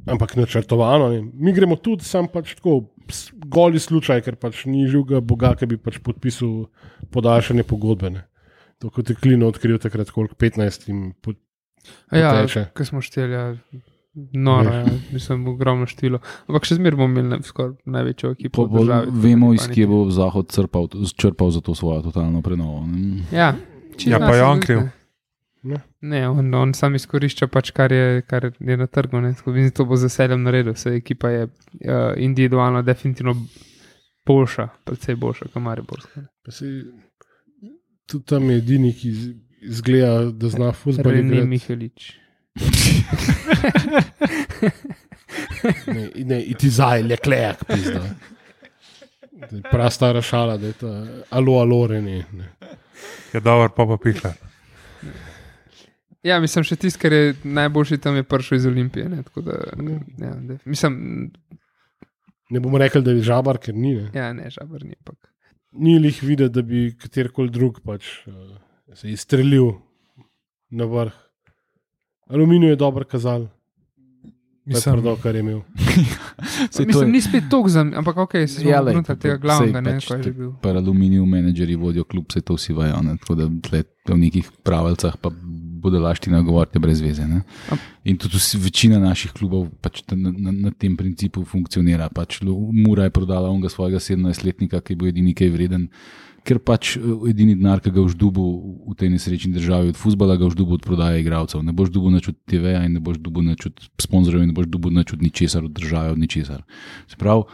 Ampak načrtovano. Ne? Mi gremo tudi, sam pač tako, goli slučaj, ker pač ni živega Boga, ki bi pač podpisal podaljšanje pogodbe. Ne? To kot je Klino odkril takrat, koliko 15 in poteče. Ko smo šteli, noro, mislim, ogromno število. Ampak še zmeraj bomo imeli skoraj največjo ekipo v državi. Vemo, iz kje bo Zahod črpal za to svojo totalno prenovo. Ja, pa je on kriv. Ne, on sam izkorišča pač, kar je na trgu. To bo z veseljem naredil. Vse ekipa je individualno definitivno boljša, predvsej boljša kot Mariborska. Tudi tam je edini, ki izgleda, da zna fuzbol igrati. René Mihelič. Ne, iti zaj, Leclerc, pizda. Prav stara šala, da je to alo, René. Je dober, pa pihla. Ja, mislim, še tisti, ker je najboljši tam je prišel iz Olimpije. Ne, tako da, mislim... Ne bomo rekli, da je Žabar, ker ni. Ne? Ja, ne, Žabar ni. Pak. Ni lih videti, da bi katerikoli drug pač se izstrelil na vrh. Aluminij je dober kazal. Mislim, da je kar je imel. Mislim, ni spet tok za me, ampak ok, se smo vnutar tega glavnega, ne, kaj je bil. Pa aluminiju menedžeri vodijo klub, se to vsi vajo, ne, tako da v nekih pravilcah pa bodo laština govoriti brez veze. Ne. In tudi večina naših klubov pač na tem principu funkcionira. Pač Mura je prodala onega svojega 17-letnika, ki bo edini kaj vreden, ker pač edini denar, ki ga boš dobil v tej nesrečni državi od fuzbala, ga boš dobil od prodaje igralcev. Ne boš dobil nič od TV-ja in ne boš dobil nič od sponzorjev in ne boš dobil nič od ničesar, od države, od ničesar. Se pravi,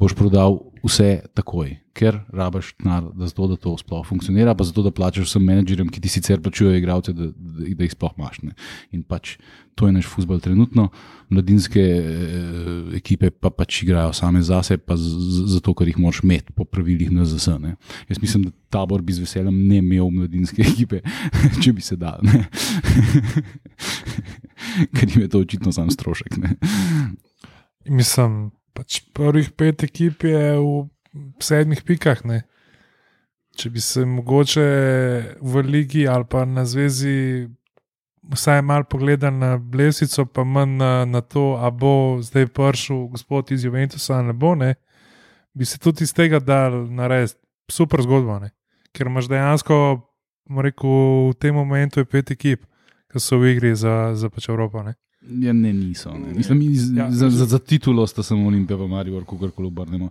boš prodal vse takoj, ker rabaš denar, da to sploh funkcionira, pa zato, da plačaš vsem menedžerjem, ki ti sicer plačujejo igralce, da jih sploh imaš. Ne. In pač to je naš fuzbal trenutno. Mladinske ekipe pa pač igrajo same zase, pa zato, ker jih moraš imeti po pravilih NZS. Ne. Jaz mislim, da Tabor bi z veseljem ne imel mladinske ekipe, če bi se dal. Ker jim je to očitno sam strošek. Ne. Mislim, pač prvih 5 ekip je v 7 pikah. Ne. Če bi se mogoče v ligi ali pa na zvezi vsaj malo pogledal na Blesico, pa manj na to, a bo zdaj prišel gospod iz Juventusa ali ne bo, ne, bi se tudi iz tega dal narediti super zgodbo, ne. Ker imaš dejansko, rekel, v tem momentu je 5 ekip, ki so v igri za pač Evropo. Ne. Ja, ne, niso. Ne. Mislim, za titulo sta samo Olimpija pa Maribor, kogarkoli obrnemo.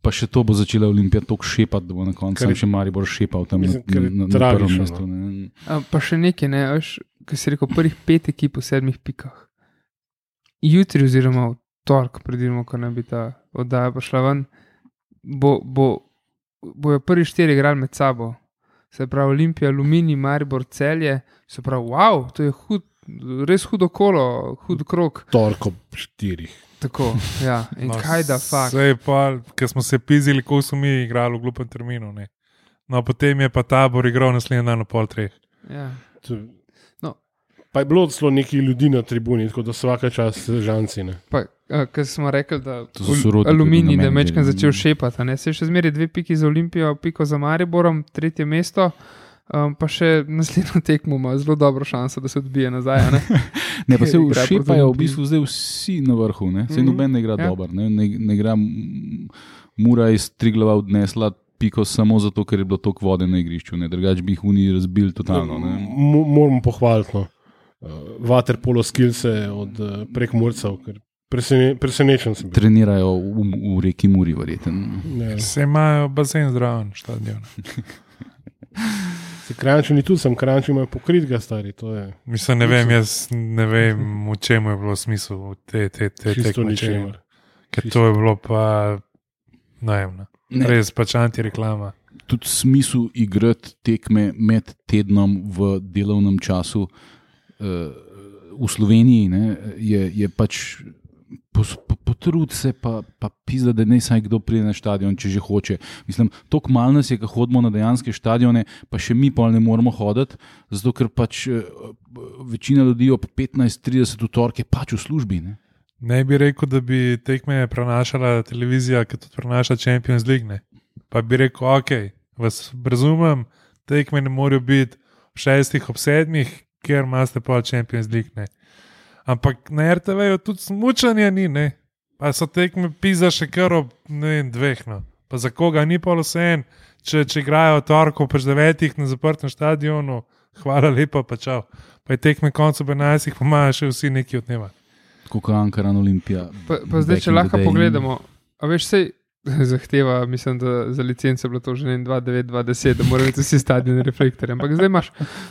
Pa še to bo začela Olimpija toliko šepati, da bo na koncu še Maribor šepal tam na prvem mestu. Pa še nekaj, ne, ki si rekel, prvih 5 ekip v 7 pikah. Jutri oziroma v torek, predvidimo, ko ne bi ta oddaja prišla ven, bojo prvi 4 igrali med sabo. Se pravi Olimpija, Aluminij, Maribor, Celje. Se pravi, wow, to je res hudo kolo, hud krog. Torko 4. Tako, ja. In no, kaj da fakt. Sej pa, ker smo se pizili, ko smo mi igrali v glupem terminu. Ne. No, potem je pa Tabor igral naslednji dan ob 3:30. Ja. Pa je bilo celo nekaj ljudi na tribuni, tako da vsaka čas žanci. Ker smo rekli, da Aluminij je mečkan začel šepati. Se je še zmeraj 2 piki za Olimpijo, piko za Mariborom, 3. mesto, pa še naslednjo tekmo ima zelo dobro šanso, da se odbije nazaj. Ne, pa se šepajo v bistvu zdaj vsi na vrhu. Se noben ne igra dober. Ne igra Mura iz Triglava odnesla piko samo zato, ker je bilo toliko vode na igrišču. Drugač bi jih Uniji razbili totalno. Moramo pohvaliti, no. Waterpolo skillse od Prekmurcev, ker presenečen sem bil. Trenirajo v reki Muri, verjetno. Se imajo bazen zdraven štadion. Se Kranjčani tudi, sem Kranjčani imajo pokrit ga stari, to je. Mislim, jaz ne vem, v čemu je bilo smisel te tekmeče. Ker to je bilo pa najemno. Res pač antireklama. Tudi smisel igrati tekme med tednom v delovnem času v Sloveniji, ne, je pač potrud se pa pizda, da ne saj kdo pride na štadion, če že hoče. Mislim, toliko malo nas je, ko hodimo na dejanske štadione, pa še mi pol ne moramo hoditi, zato ker pač večina ljudi ob 15:30 v torek je pač v službi. Ne bi rekel, da bi tekme prenašala televizija, ki tudi prenaša Champions League, ne. Pa bi rekel, ok, vas razumem, tekme ne morajo biti v 6, ob 7, ker imate pa Champions League. Ne. Ampak na RTV-ju tudi smučanje ni, ne. Pa so tekme pisa še kar ob 2. No. Pa za koga ni pa vse en, če igrajo torko po 9 na zaprtem stadionu, hvala lepa, pa čau. Pa je tekme koncu 11, pa imajo še vsi neki odnevati. Kot Ankaran Olimpija. Pa zdaj, če lahko pogledamo, a veš, sej zahteva, mislim, da za licence je bilo to že 2.9, 2.10, da morajo biti vsi stadioni reflektorji. Ampak zdaj imaš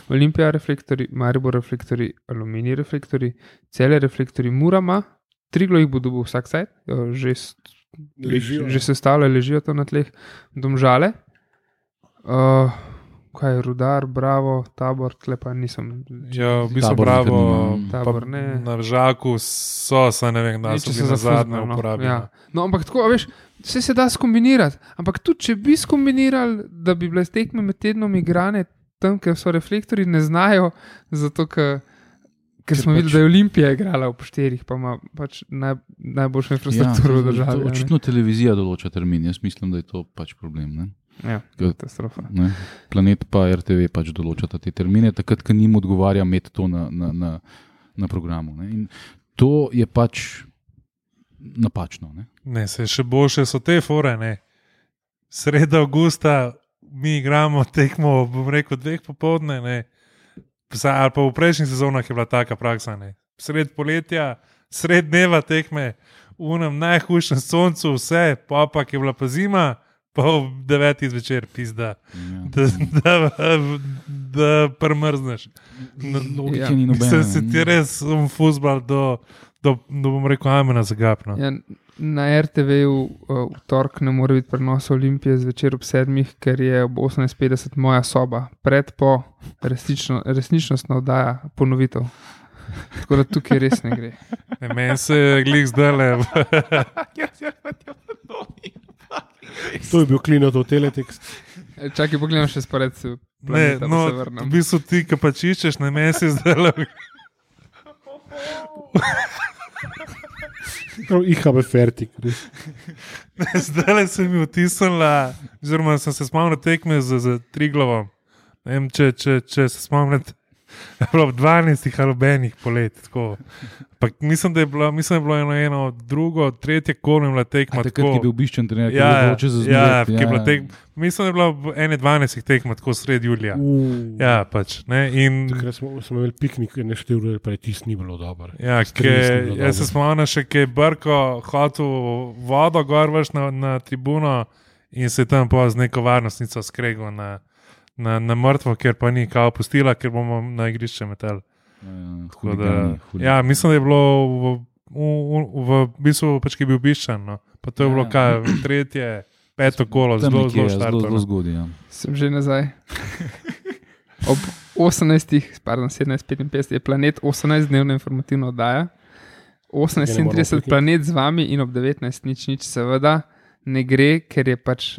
Olimpija reflektorji, Maribor reflektorji, Aluminij reflektorji, Celje reflektorji, Murama, Triglav jih bo dobil vsak sajt, že se stavljajo, ležijo tam na tleh, Domžale, kaj je Rudar, Bravo, Tabor, tlepa nisem. Ja, v bistvu Bravo, Tabor, ne. Na Žaku so, ne vem, da so bili na zadnje uporabljeni. Ja. No, ampak tako, veš, vse se da skombinirati, ampak tudi, če bi skombinirali, da bi bile tekme med tednom igrane tam, ker so reflektori, ne znajo, zato ker smo videli, da je Olimpija igrala v 4, pa ima pač najboljšo infrastrukturo v državi. Očitno televizija določa termin, jaz mislim, da je to pač problem. Ne? Ja, katastrofa. Planet pa RTV pač določata te termine, takrat, ko njim odgovarja med to na programu. Ne? In to je pač napačno. Ne, se še boljše so te fore, ne. Sreda avgusta mi igramo tekmo, bom rekel, 2 popoldne, ne. Ali pa v prejšnjih sezonah je bila taka praksa, ne. Sred poletja, sred dneva tekme, v enem najhujšem soncu, vse, pa je bila pa zima, pa v 9 zvečer pizda, da prmrzneš. Logike ni nobene. Se ti res fuzbal do bom rekel, amena zagapno. Ja, na RTV-ju v torek ne more biti prenos Olimpije zvečer ob 7, ker je ob 18.50 moja soba. Po resničnostna oddaja, ponovitev. Tako da tukaj res ne gre. Meni se glih zdajle. To je bil Klinotov teletekst. Čakaj, pogledam še spored se. Ne, no, v bistvu ti, ki pač iščeš, ne meni se zdajle. IHB fertik. Zdaj se mi vtisnila, oziroma sem se spomnil tekme z Triglavom. Ne vem, če se spomnite, ob 12 ali ob 1 polet. Mislim, da je bilo eno, drugo, tretje kolo je bila tekma. Takrat je bil obiščen trener, ki je bil odločen za zmret. Mislim, da je bilo 12 tekma, tako sred julija. Ja, pač. Takrat smo imeli piknik, neštev ure, pa je tis ni bilo dobro. Ja, jaz se spomnim še, ki je Brko hotel vodo gor vrš na tribuno in se je tam pa z neko varnostnico skregal na mrtvo, ker pa ni kao pustila, ker bomo na igrišče metali. Ja, mislim, da je bilo v bistvu pač, ki je bil obiščen. No. Pa to je bilo kaj, 3., 5. kolo, zelo zgodaj. Ja. Sem že nazaj. Ob 17:55 je Planet 18-dnevna informativna oddaja, 18:37 Planet z vami in ob 19 nič seveda ne gre, ker je pač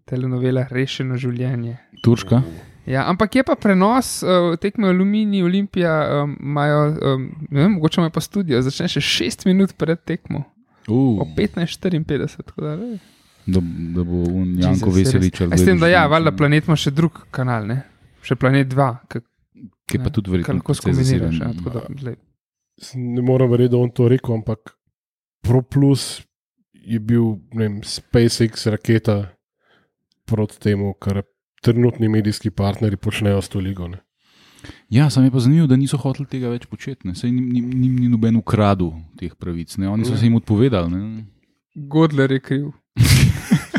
telenovela Rešeno življenje. Turška? Ja, ampak je pa prenos tekme Aluminij, Olimpija, imajo, ne vem, mogoče imajo pa studio, začne še 6 minut pred tekmo. Ob 15:54. Da bo Janko Veselič. S tem, da valjda Planet ima še drug kanal, ne? Še Planet 2. Ki pa tudi verjetno lahko skombiniraš. Ne moram verjeti, da on to rekel, ampak ProPlus je bil, ne vem, SpaceX raketa proti temu, kar trenutni medijski partnerji počnejo s to ligo. Ne? Ja, sam je pa zanimivo, da niso hoteli tega več početi. Saj ni noben ukradil teh pravic. Ne? Oni so se jim odpovedali. Ne? Godler je kriv.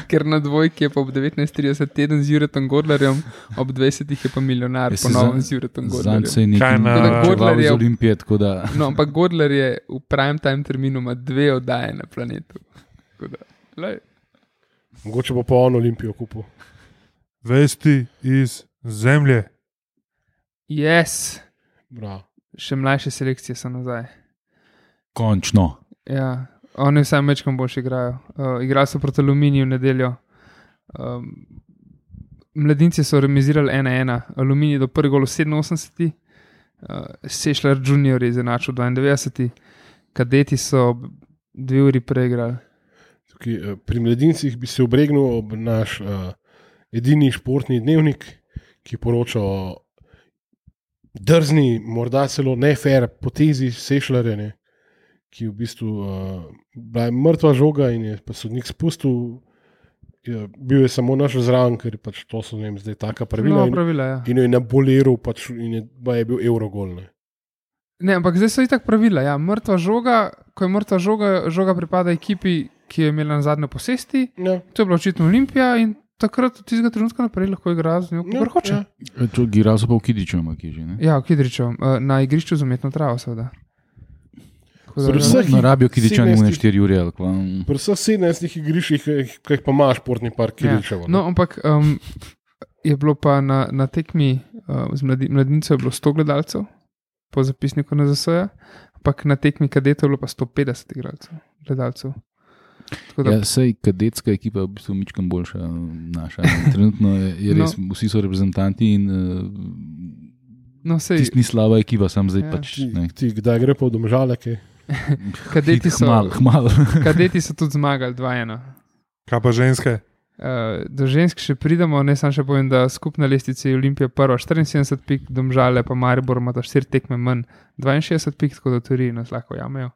Ker na dvojki je pa ob 19:30 teden z Juretom Godlerjem, ob 20 je pa milijonar ponovno z Juretom Godlerjem. Zanj se je nekaj Godler iz Olimpije, tako da... No, ampak Godler je v prime time terminu ima 2 oddaje na Planetu. Mogoče bo pa on Olimpijo kupil. Vesti iz zemlje. Yes. Bravo. Še mlajše selekcije so nazaj. Končno. Ja, oni vsaj mečkam boljše igrajo. Igrali so proti Aluminiju v nedeljo. Mladinci so remizirali 1-1. Aluminij do prvi gol v 87. Sešljar junior je izenačil 92. Kadeti so 2 uri preigrali. Pri mladincih bi se obregnil ob naš edini športni dnevnik, ki poroča o drzni, morda celo nefer potezi Sešljarja, ne, ki je v bistvu bila mrtva žoga in je pa sodnik spustil. Bil je samo naš zraven, ker pač to so zdaj taka pravila. In je naboliral pač, in je bil Eurogol. Ne, ampak zdaj so itak pravila. Ja. Mrtva žoga, ko je mrtva žoga pripada ekipi, ki je imela na zadnje posesti. Ja. To je bila očitno Olimpija in takrat od tistega trenutka naprej lahko igra z njo, kar hoče. Ja. Igrali so pa v Kidriču, Ja, v Kidriču. Na igrišču z umetno travo, seveda. Na rabijo Kidričani v 4 ure. Pri vseh 17 igriščih, ki jih pa ima športni park Kidričevo. Ja. No, ampak je bilo pa na tekmi z mladincev je bilo 100 gledalcev, po zapisniku NZS-ja, ampak na tekmi kadetov je bilo pa 150 gledalcev. Ja, sej kadetska ekipa je v bistvu mičkam boljša naša. Trenutno je res, vsi so reprezentanti in tisti ni slaba ekipa, sam zdaj pač. Ti kdaj gre pa v Domžale, kaj? Kadeti so tudi zmagali 2-1. Kaj pa ženske? Do žensk še pridemo, ne sam še povem, da skupna lestvica je Olimpija prva 74 pik, Domžale pa Maribor ima 4 tekme manj 62 pik, tako da v teoriji nas lahko jamejo.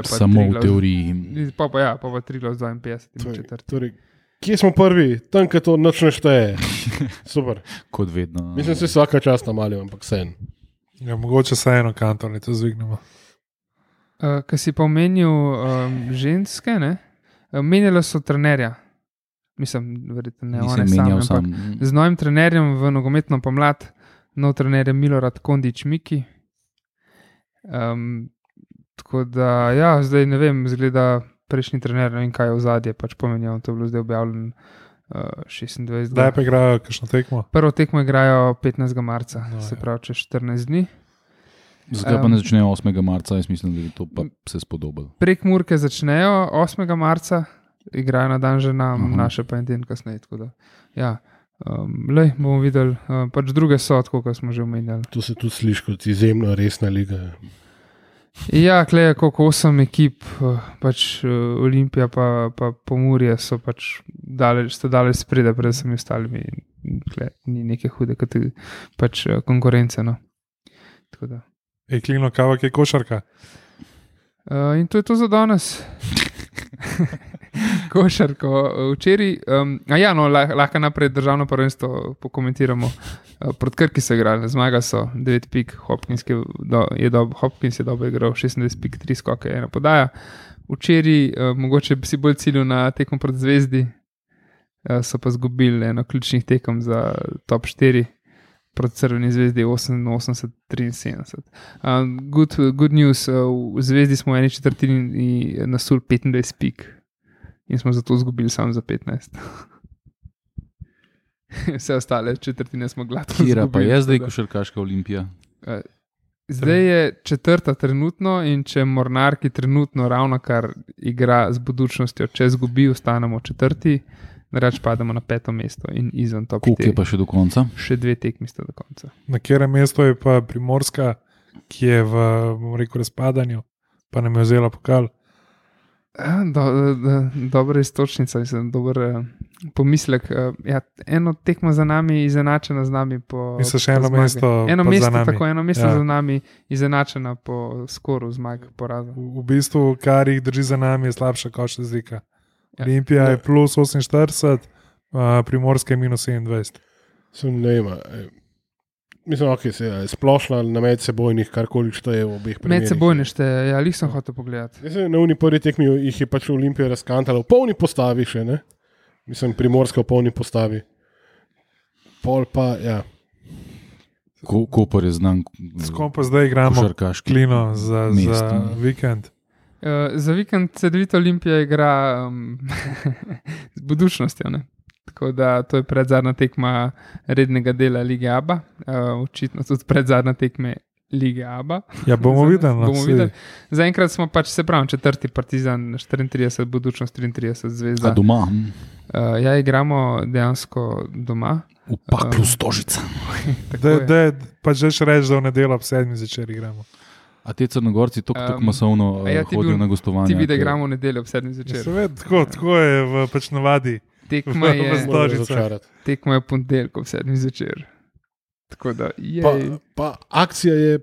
Samo v teoriji. Pa 3 z 52 torej, kje smo prvi? Tam, kaj to nič ne šteje. Super. Kot vedno. Mislim, da se vsaka čast namalil, ampak sen. Ja, mogoče se eno kanto, ne to zvignemo. Kaj si pa omenil ženske, ne? Menjala so trenerja. Mislim, verjetno ne, one same. Z novim trenerjem v nogometno pomlad, nov trener je Milorad Kondič-Miki. Tako da, ja, zdaj ne vem, zgleda prejšnji trener, ne vem, kaj je v zadje, pač pomenjal, to je bilo zdaj objavljeno 26. Zdaj pa igrajo kakšno tekmo? Prvo tekmo igrajo 15. marca, se pravi čez 14 dni. Zakaj pa ne začnejo 8. marca, jaz mislim, da bi to pa se spodobilo. Prek Murke začnejo 8. marca, igrajo na dan žena, naše pa en den kasneje, tako da, ja. Bomo videli, pač druge so, tako kot smo že omenjali. To se tudi sliši kot izjemno resna liga. Ja, kleje koliko 8 ekip, pač Olimpija pa Pomurje so pač daleč spredaj pred vsemi ostalimi, ni neke hude pač konkurence, no. Tako da. Klino, kavak je košarka. In to je to za danes. Košarko. Včeraj, lahko naprej državno prvenstvo pokomentiramo. Proti Krki so igrali, zmaga so 9 pik, Hopkins je dobro igral, 26 pik, 3 skoke, 1 podaja. Včeraj, mogoče bi si bolj ciljil na tekmo proti Zvezdi, so pa zgubili eno ključnih tekem za top 4. Proti Crveni zvezdi 88-73. Good news, v Zvezdi smo v eni četrtini nasuli 25 pik in smo zato zgubili samo za 15. Vse ostale četrtine smo gladko zgubili. Kira pa je zdaj košarkaška Olimpija? Zdaj je 4. trenutno in če Mornar, ki trenutno ravno kar igra z budučnostjo, če zgubi, ostanemo 4. Reč pademo na 5. mesto in izven top 4. Koliko je pa še do konca? Še 2 tekmi sta do konca. Na katerem mestu je pa Primorska, ki je v razpadanju, pa nam je vzela pokal? Dobra istočnica, dober pomislek. Eno tekmo za nami, izenačena z nami po še eno mesto za nami. Eno mesto za nami, izenačena po skoru zmag poraza. V bistvu, kar jih drži za nami, je slabša kot razlika. Olimpija je plus 48, Primorska je minus 27. Mislim, ok, se je splošna na medsebojnih, karkoli šteje v obeh primerih. Medsebojne šteje, ja, lih sem hotel pogledati. Na uni prvi tekmi jih je pač Olimpija razkantala v polni postavi še, ne? Mislim, Primorska v polni postavi. Pol pa, ja. Kopor je znan. S kom pa zdaj igramo Klino za vikend? Za vikend Cedevita Olimpija igra z budučnostjo, ne? Tako da to je predzadnja tekma rednega dela Lige ABA, očitno tudi predzadnja tekme Lige ABA. Ja, bomo videli. Zaenkrat smo pač, se pravim, 4. Partizan, 34, budučnost 33, Zvezda. A doma? Ja, igramo dejansko doma. V Paklu Stožica. Pa že reči, da v nedeljo ob 7 začer igramo. A te Crnogorci tako masovno hodijo na gostovanje? Ti vidi, da igramo v nedeljo ob 7 začer. Seveda, tako je v pač navadi. tekma je, V Stožicah. razočarati. tekma je v ponedeljek ob 7 zvečer. Tako da Pa akcija je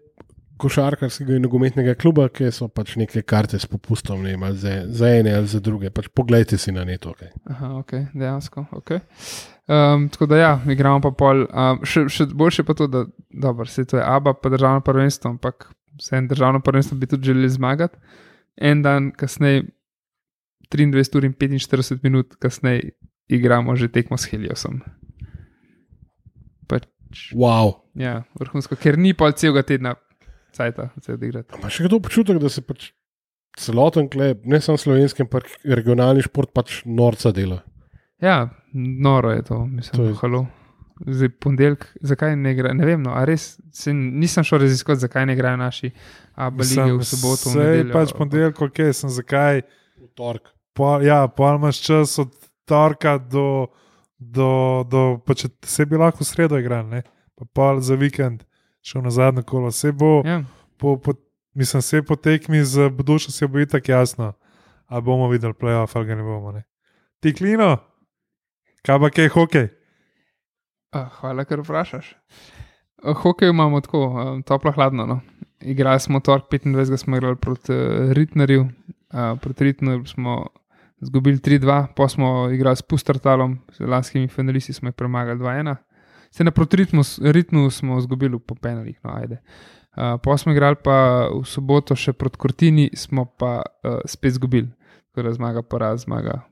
košarkarskega in nogometnega kluba, ki so pač neke karte s popustom, ne vem, ali za ene ali za druge. Pač poglejte si na neto. Okay. Aha, ok, dejansko. Okay. Tako da ja, igramo pa pol. Še boljše pa to, da dobro, se to je ABA, pa državno prvenstvo, ampak vse državno prvenstvo bi tudi želeli zmagati. En dan kasneje, 23 ur in 45 minut kasneje, igramo že tekmo s Heliosom. Wow. Ja, vrhunsko, ker ni pol celega tedna cajta, da se odigrati. Ima še kdo občutek, da se pač celoten klub, ne samo slovenski, ampak regionalni šport pač norca dela? Ja, noro je to, mislim, halo. Zdaj ponedeljek, zakaj ne igra, ne vem, no, a res nisem šel raziskovati, zakaj ne igrajo naši ABA lige v soboto. Sej pač ponedeljek, ok, sem zakaj. V torek. Ja, pol imaš čas od torka do pač se bi lahko v sredo igral, ne? Pa pol za vikend šel na zadnje kolo. Se bo, Ja. mislim, se po tekmi z Budušo se bo itak jasno, a bomo videli playoff ali ga ne bomo, ne? Ti Klino, kaj pa kaj hokej? Hvala, ker vprašaš. Hokej imamo tako, toplo hladno. No. Igrali smo torek 25, smo igrali proti Ritnerju. Proti Ritnerju smo izgubili 3-2, pa smo igrali s Pustertalom, z lanskimi finalisti smo jih premagali 2-1. Se na proti Ritnu smo izgubili po penalih, no ajde. Pa smo igrali pa v soboto še proti Cortini, smo pa spet izgubili. Tako da zmaga,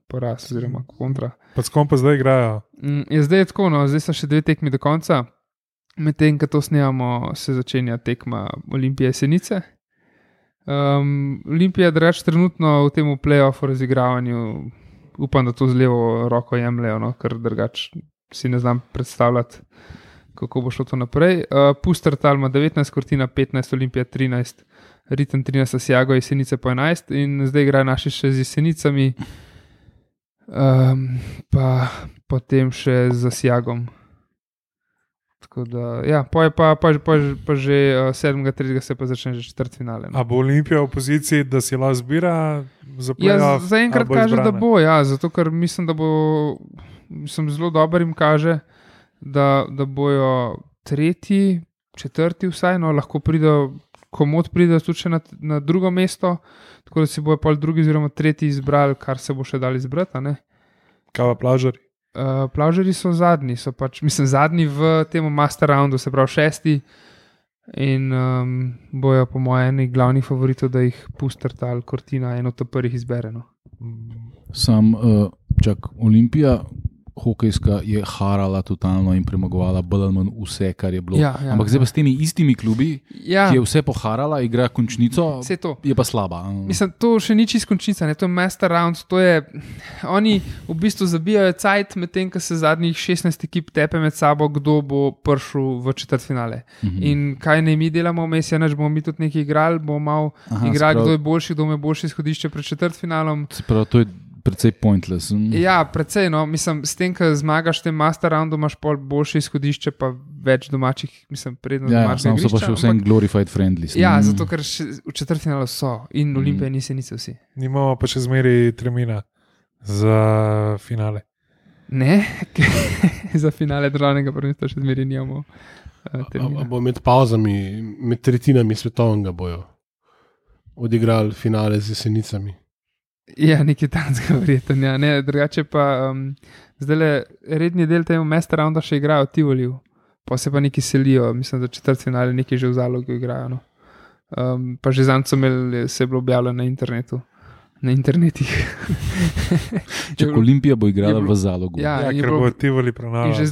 poraz, oziroma kontra. Pa s kom pa zdaj igrajo? Zdaj je tako, no, zdaj so še 2 tekmi do konca. Medtem, ko to snemamo, se začenja tekma Olimpije Senice. Olimpija, drugače, trenutno v tem play-offu razigravanju, upam, da to z levo roko jemljejo, no, ker drugače si ne znam predstavljati, kako bo šlo to naprej. Pustertal ima 19, Cortina 15, Olimpija 13, Ritem 13, Asiago, Jesenice po 11 in zdaj igrajo naši še z Jesenicami, pa potem še z Asiagom. Tako da, ja, pa že 7.3. se pa začne že četrtfinale. No. A bo Olimpija v poziciji, da si lahko zbira za playoff? Ja, zaenkrat kaže, da bo, ja, zato ker mislim, da bo, zelo dober jim kaže, da bojo 3., 4. vsaj, no, lahko pridejo, komod pridejo tudi še na drugo mesto, tako da si bojo pol drugi oziroma 3. izbrali, kar se bo še dali izbrati, a ne? Kaj pa Plavžari? Plavžari so zadnji, zadnji v tem master roundu, se pravi 6. in bojo po mojem eni glavnih favoritov, da jih Pustertal, Cortina, eno od prvih izbere. No. Olimpija hokejska je harala totalno in premagovala bolj ali manj vse, kar je bilo. Ja, ampak zdaj pa s temi istimi klubi, ja, ki je vse poharala, igra končnico, je pa slaba. Mislim, to še ni čisto končnica, ne? To je master round, to je, oni v bistvu zabijajo cajt, medtem ko se zadnjih 16 ekip tepe med sabo, kdo bo prišel v četrtfinale. In kaj ne mi delamo vmes, nač bomo mi tudi nekaj igrali, bomo malo igrali, kdo je boljši, kdo ima boljše izhodišče pred četrtfinalom. To je precej pointless. Ja, precej, no, mislim, s tem, ko zmagaš v tem master roundu, imaš pol boljše izhodišče, pa več domačih, mislim, predno domačih. Ja, samo so pa še vsem glorified friendly. Ja, zato, ker v četrtfinalu so in Olimpija niso vsi. Nimamo pa še zmeri termina za finale. Ne, za finale državnega prvenstva še zmeri nimamo termina. Bo med pauzami, med tretjinami svetovnega bojo odigrali finale z Jesenicami. Ja, nekaj tanskega verjetno. Ja. Ne, drugače pa zdaj redni del tega master rounda še igrajo v Tivoliju, pa se pa neki selijo, mislim, da četrtfinale neki že v Zalogu igrajo. No. Pa že zanj so imeli, se je bilo objavljeno na internetu. Na internetih. Če Olimpija bo igrala v Zalogu. Ja, ker bo Tivoli prenavljal. Že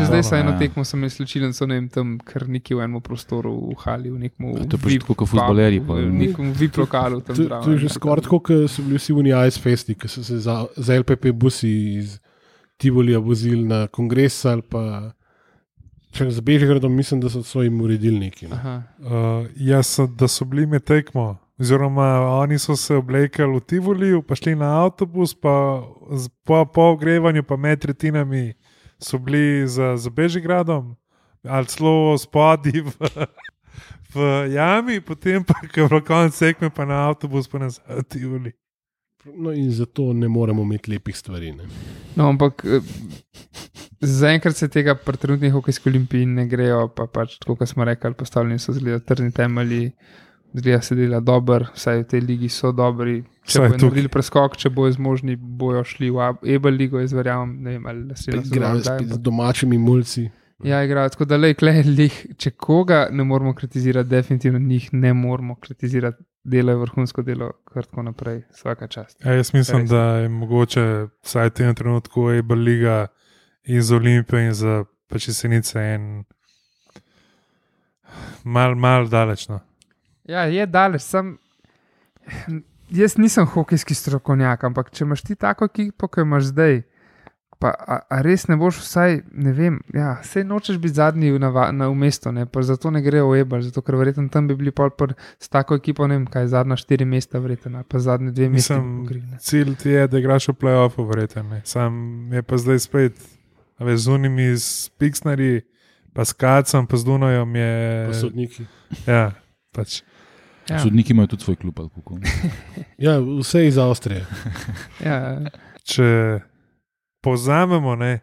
zdaj so eno tekmo, sem jaz slučilen, so ne vem tam, kar neki v enem prostoru v hali, v nekem to je pa tako kot futbolerji. V nekem VIP lokalu tam zraven. To je že skoraj tako, kot so bili vsi v Ice Festi, ki so se za LPP busi iz Tivolija vozili na kongres ali pa z Bežigradom, mislim, da so jim uredili neki. Da so bili med tekmo. Oziroma, oni so se oblekali v Tivoliju, pa šli na avtobus, pa po ogrevanju, pa med tretjinami so bili za Bežigradom, ali celo spodaj v jami, potem pa, ko je bilo konec tekme, pa na avtobus, pa nazaj v Tivoli. No, in zato ne moremo imeti lepih stvari. Ne. No, ampak zaenkrat se tega pri trenutnih hokejskih olimpijih ne grejo, pa pač, tako kot smo rekli, postavljeni so zgleda trdni temelji, zgleda se dela dobro, vsaj v tej ligi so dobri. Če Vsaj bojo tukaj. naredili preskok, če bojo zmožni, bojo šli v Ebel ligo, jaz verjamem, ne vem, ali se Igrajo spet z domačimi mulci. Ja, igrajo tako, da lej, če koga ne moramo kritizirati, definitivno njih ne moramo kritizirati, delajo vrhunsko delo, kar tako naprej, vsaka čast. Ja, jaz mislim, Res. da je mogoče vsaj v tem trenutku Ebel liga in za Olimpijo in za pač Jesenice en mal daleč. No. Ja, je daleč, jaz nisem hokejski strokovnjak, ampak če imaš ti tako ekipo, kot imaš zdaj, pa a res ne boš vsaj, ne vem, ja, sej nočeš biti zadnji v mestu, ne, pa zato ne grejo v Ebel, zato ker verjetno tam bi bili s tako ekipo, ne vem, kaj zadnja 4 mesta verjetno, pa zadnje 2 mesta. Cilj ti je, da igraš v play-offu, verjetno. Sam je pa zdaj spet, a veš, z unimi s Pixnari, pa s Kacom, pa z Dunojem je. Pa sodniki. Ja, pač. Ja. Sodniki imajo tudi svoj klub. Ali kako. Ja, vse iz Avstrije. Ja, Če povzamemo, ne,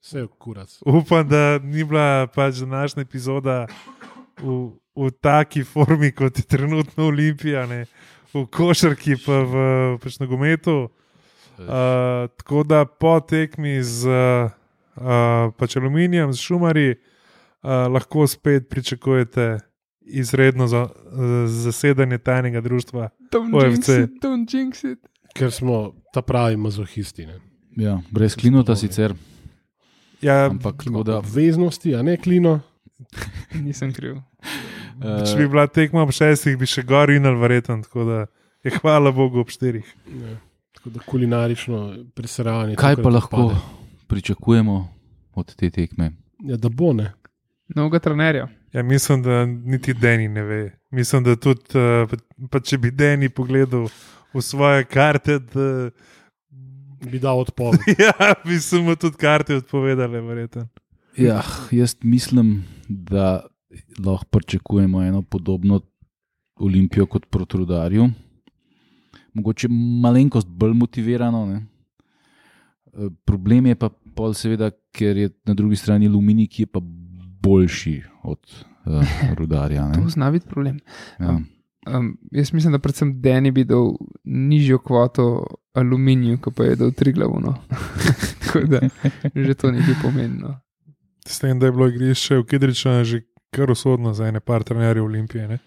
Vse je kurac. upam, da ni bila pač današnja epizoda v taki formi, kot je trenutno Olimpija, ne, v košarki, pa v pač nogometu. Tako da po tekmi z pač Aluminijem, z Šumarji, lahko spet pričakujete izredno zasedanje tajnega društva OFC. Don't jinx it. Ker smo ta pravi mazohisti. Ne. Ja, brez klinota sicer, Ja, ampak tako da. Obveznosti, a ne klino. Nisem kriv. če bi bila tekma ob 6, bi še gor inal verjetno, tako da je hvala Bogu ob 4. Ja. Tako da kulinarično presranje. Kaj tokrat pa lahko odpade. pričakujemo od te tekme? Ja, da bo ne. Novega trenerja. Ja, mislim, da niti Deni ne ve. Mislim, da tudi, pa če bi Deni pogledal v svoje karte, da Bi dal odpoved. ja, bi se mu tudi karte odpovedale, verjetno. Ja, jaz mislim, da lahko pričakujemo eno podobno Olimpijo kot proti Rudarju. Mogoče malenkost bolj motivirano. Ne? Problem je pa pol seveda, ker je na drugi strani Aluminij, ki je pa boljši od Rudarja. Ne? To zna biti problem. Ja. Jaz mislim, da predvsem Deni bi dal nižjo kvoto Aluminiju, kot pa je dal Triglavu. No. Tako da že to nekaj pomeni. S tem, da je bilo igrišče v Kidriču že kar usodno za ene par trenerjev Olimpije. Ne?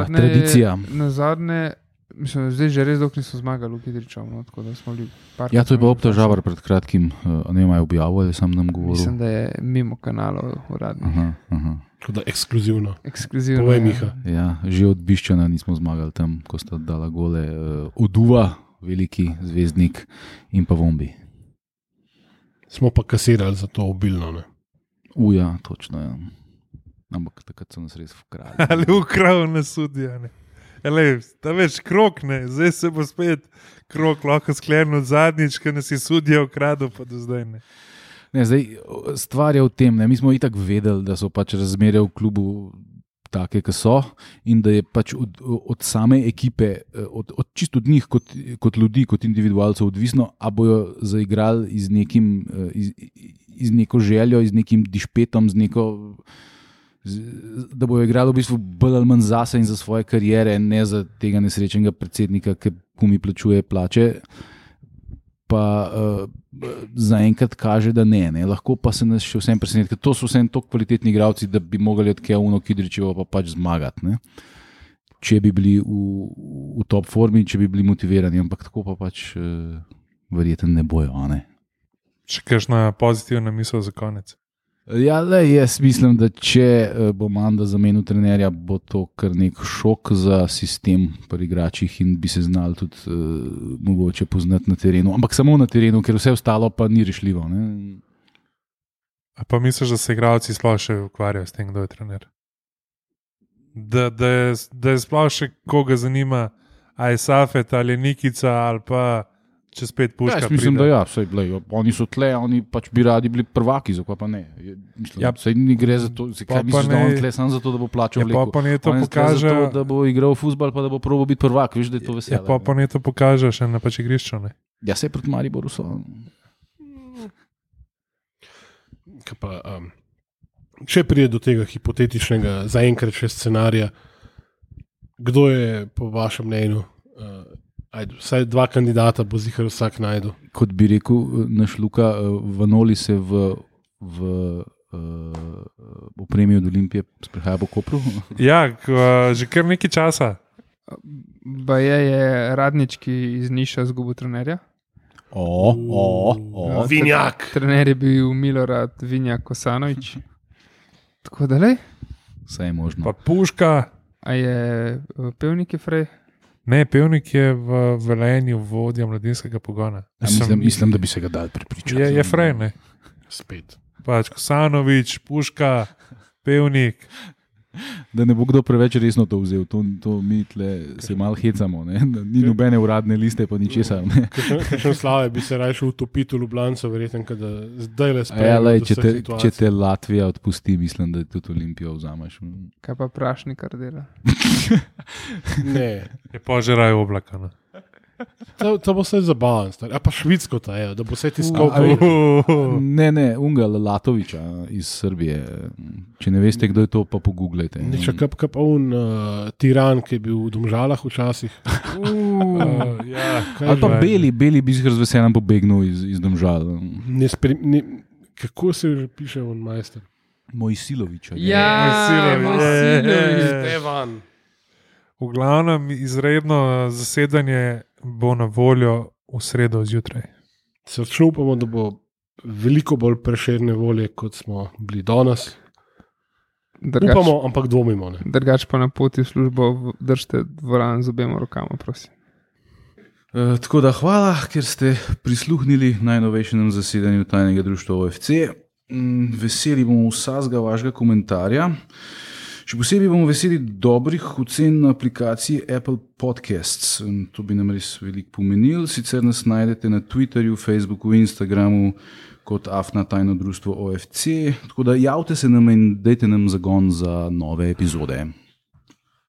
Tradicija. Na zadnje, mislim, zdaj že res dolgo niso zmagali v Kidriču. No, tako da smo bili parkrat. Ja, to je pa obtožavar pred kratkim, ne vem, objavil ali sam nam govoril. Mislim, da je mimo kanalov uradnih. Aha. Tako da ekskluzivno. Ekskluzivno. Povej, ja. Miha. Ja, že od Biščana nismo zmagali tam, ko sta dala gole Oduva, veliki zvezdnik, in pa Vombi. Smo pa kasirali za to obilno. Ne. Ja, točno. Ja. Ampak takrat so nas res ukrali. Ali ukral na sudija. Ta več krok, ne, zdaj se bo spet krok lahko sklenil zadnjič, ker nas je sudija ukradel, pa do zdaj ne. Ne, zdaj, stvar je v tem, ne, mi smo itak vedeli, da so pač razmere v klubu take, ki so, in da je pač od same ekipe, čisto od njih kot ljudi, kot individualcev odvisno, a bojo zaigrali z neko željo, z nekim dišpetom, da bojo igrali v bistvu bolj ali manj zase in za svoje karijere, ne za tega nesrečnega predsednika, ki mi plačuje plače. Pa zaenkrat kaže, da ne. Lahko pa se nas še vsem preseneti, ker to so vsem tako kvalitetni igralci, da bi mogli od Kevuna Kidričeva pa pač zmagati. Ne? Če bi bili v top formi, če bi bili motivirani, ampak tako pa pač verjetno ne bojo. Ne? Še kakšna pozitivna misel za konec? Ja, jaz mislim, da če bo Manda zamenil trenerja, bo to kar nek šok za sistem pri igračih in bi se znali tudi mogoče poznati na terenu. Ampak samo na terenu, ker vse ostalo pa ni rešljivo. Ne? A pa misliš, da se igralci sploh še ukvarjajo s tem, kdo je trener? Da je sploh še koga zanima, ali je Safet, ali je Nikica, ali pa če spet puška. Jaz mislim, da ja, sej, lej, oni so tle, oni pač bi radi bili prvaki, zakaj pa ne. Mislim, sej ni gre za to, kaj misliš, da on tle samo zato, da bo plačal mleko. Pa ne to on pokaže, zato, da bo igral futbol, pa da bo probo biti prvak, veš, da je to veselje. Pa ne to pokaže še na pač igrišču, ne. Ja, sej proti Mariboru so. Če pride do tega hipotetičnega, zaenkrat še scenarija, kdo je po vašem mnenju, vsaj 2 kandidata bo zihar vsak najdu? Kot bi rekel naš Luka, Vanoli se v opremi od Olimpije sprehaja po Kopru. Ja, že kar nekaj časa. Baje je Radnički iz Niša zgubil trenerja. Vinjak. Trener je bil Milorad Vinjak Kosanović. Tako da lej. Vse je možno. Pa Puška. A je Pevnik je Frej? Ne, Pevnik je v Velenju vodja mladinskega pogona. Mislim, da bi se ga dal prepričati. Je Frej, ne? Spet. Pač Kosanović, Puška, Pevnik. Da ne bo kdo preveč resno to vzel, to mi tle se malo hecamo, ne? Ni nobene uradne liste, pa ničesar. Kakšen Slave bi se rajšel utopiti v Ljubljancu, verjetno, da zdaj le sprejme. Če te Latvija odpusti, mislim, da tudi Olimpijo vzameš. Kaj pa Prašnikar dela? Ne. Je požeraj oblaka, ne? To bo vse zabavan, a pa Švicko ta je, da bo vse tiskal. Ne, Unga Latoviča iz Srbije. Če ne veste, kdo je to, pa pogooglejte. Neče kap tiran, ki je bil v Domžalah včasih. Ali pa Beli bi z veseljem pobegnil iz Domžal. Kako se že piše on majster? Mojsilovič. Mojsilovič. Stevan. V glavnem izredno zasedanje bo na voljo v sredo zjutraj. Srčno upamo, da bo veliko bolj Prešerne volje, kot smo bili danes. Upamo, ampak dvomimo. Drugač pa na poti v službo držite dvoran z obema rokama, prosim. Tako da hvala, ker ste prisluhnili najnovejšemu zasedanju Tajnega društva OFC. Veseli bomo vsakega vašega komentarja. Še posebej bomo veseli dobrih ocen na aplikaciji Apple Podcasts. To bi nam res veliko pomenil. Sicer nas najdete na Twitterju, Facebooku, Instagramu kot AFNA Tajno društvo OFC. Tako da javite se nam in dajte nam zagon za nove epizode.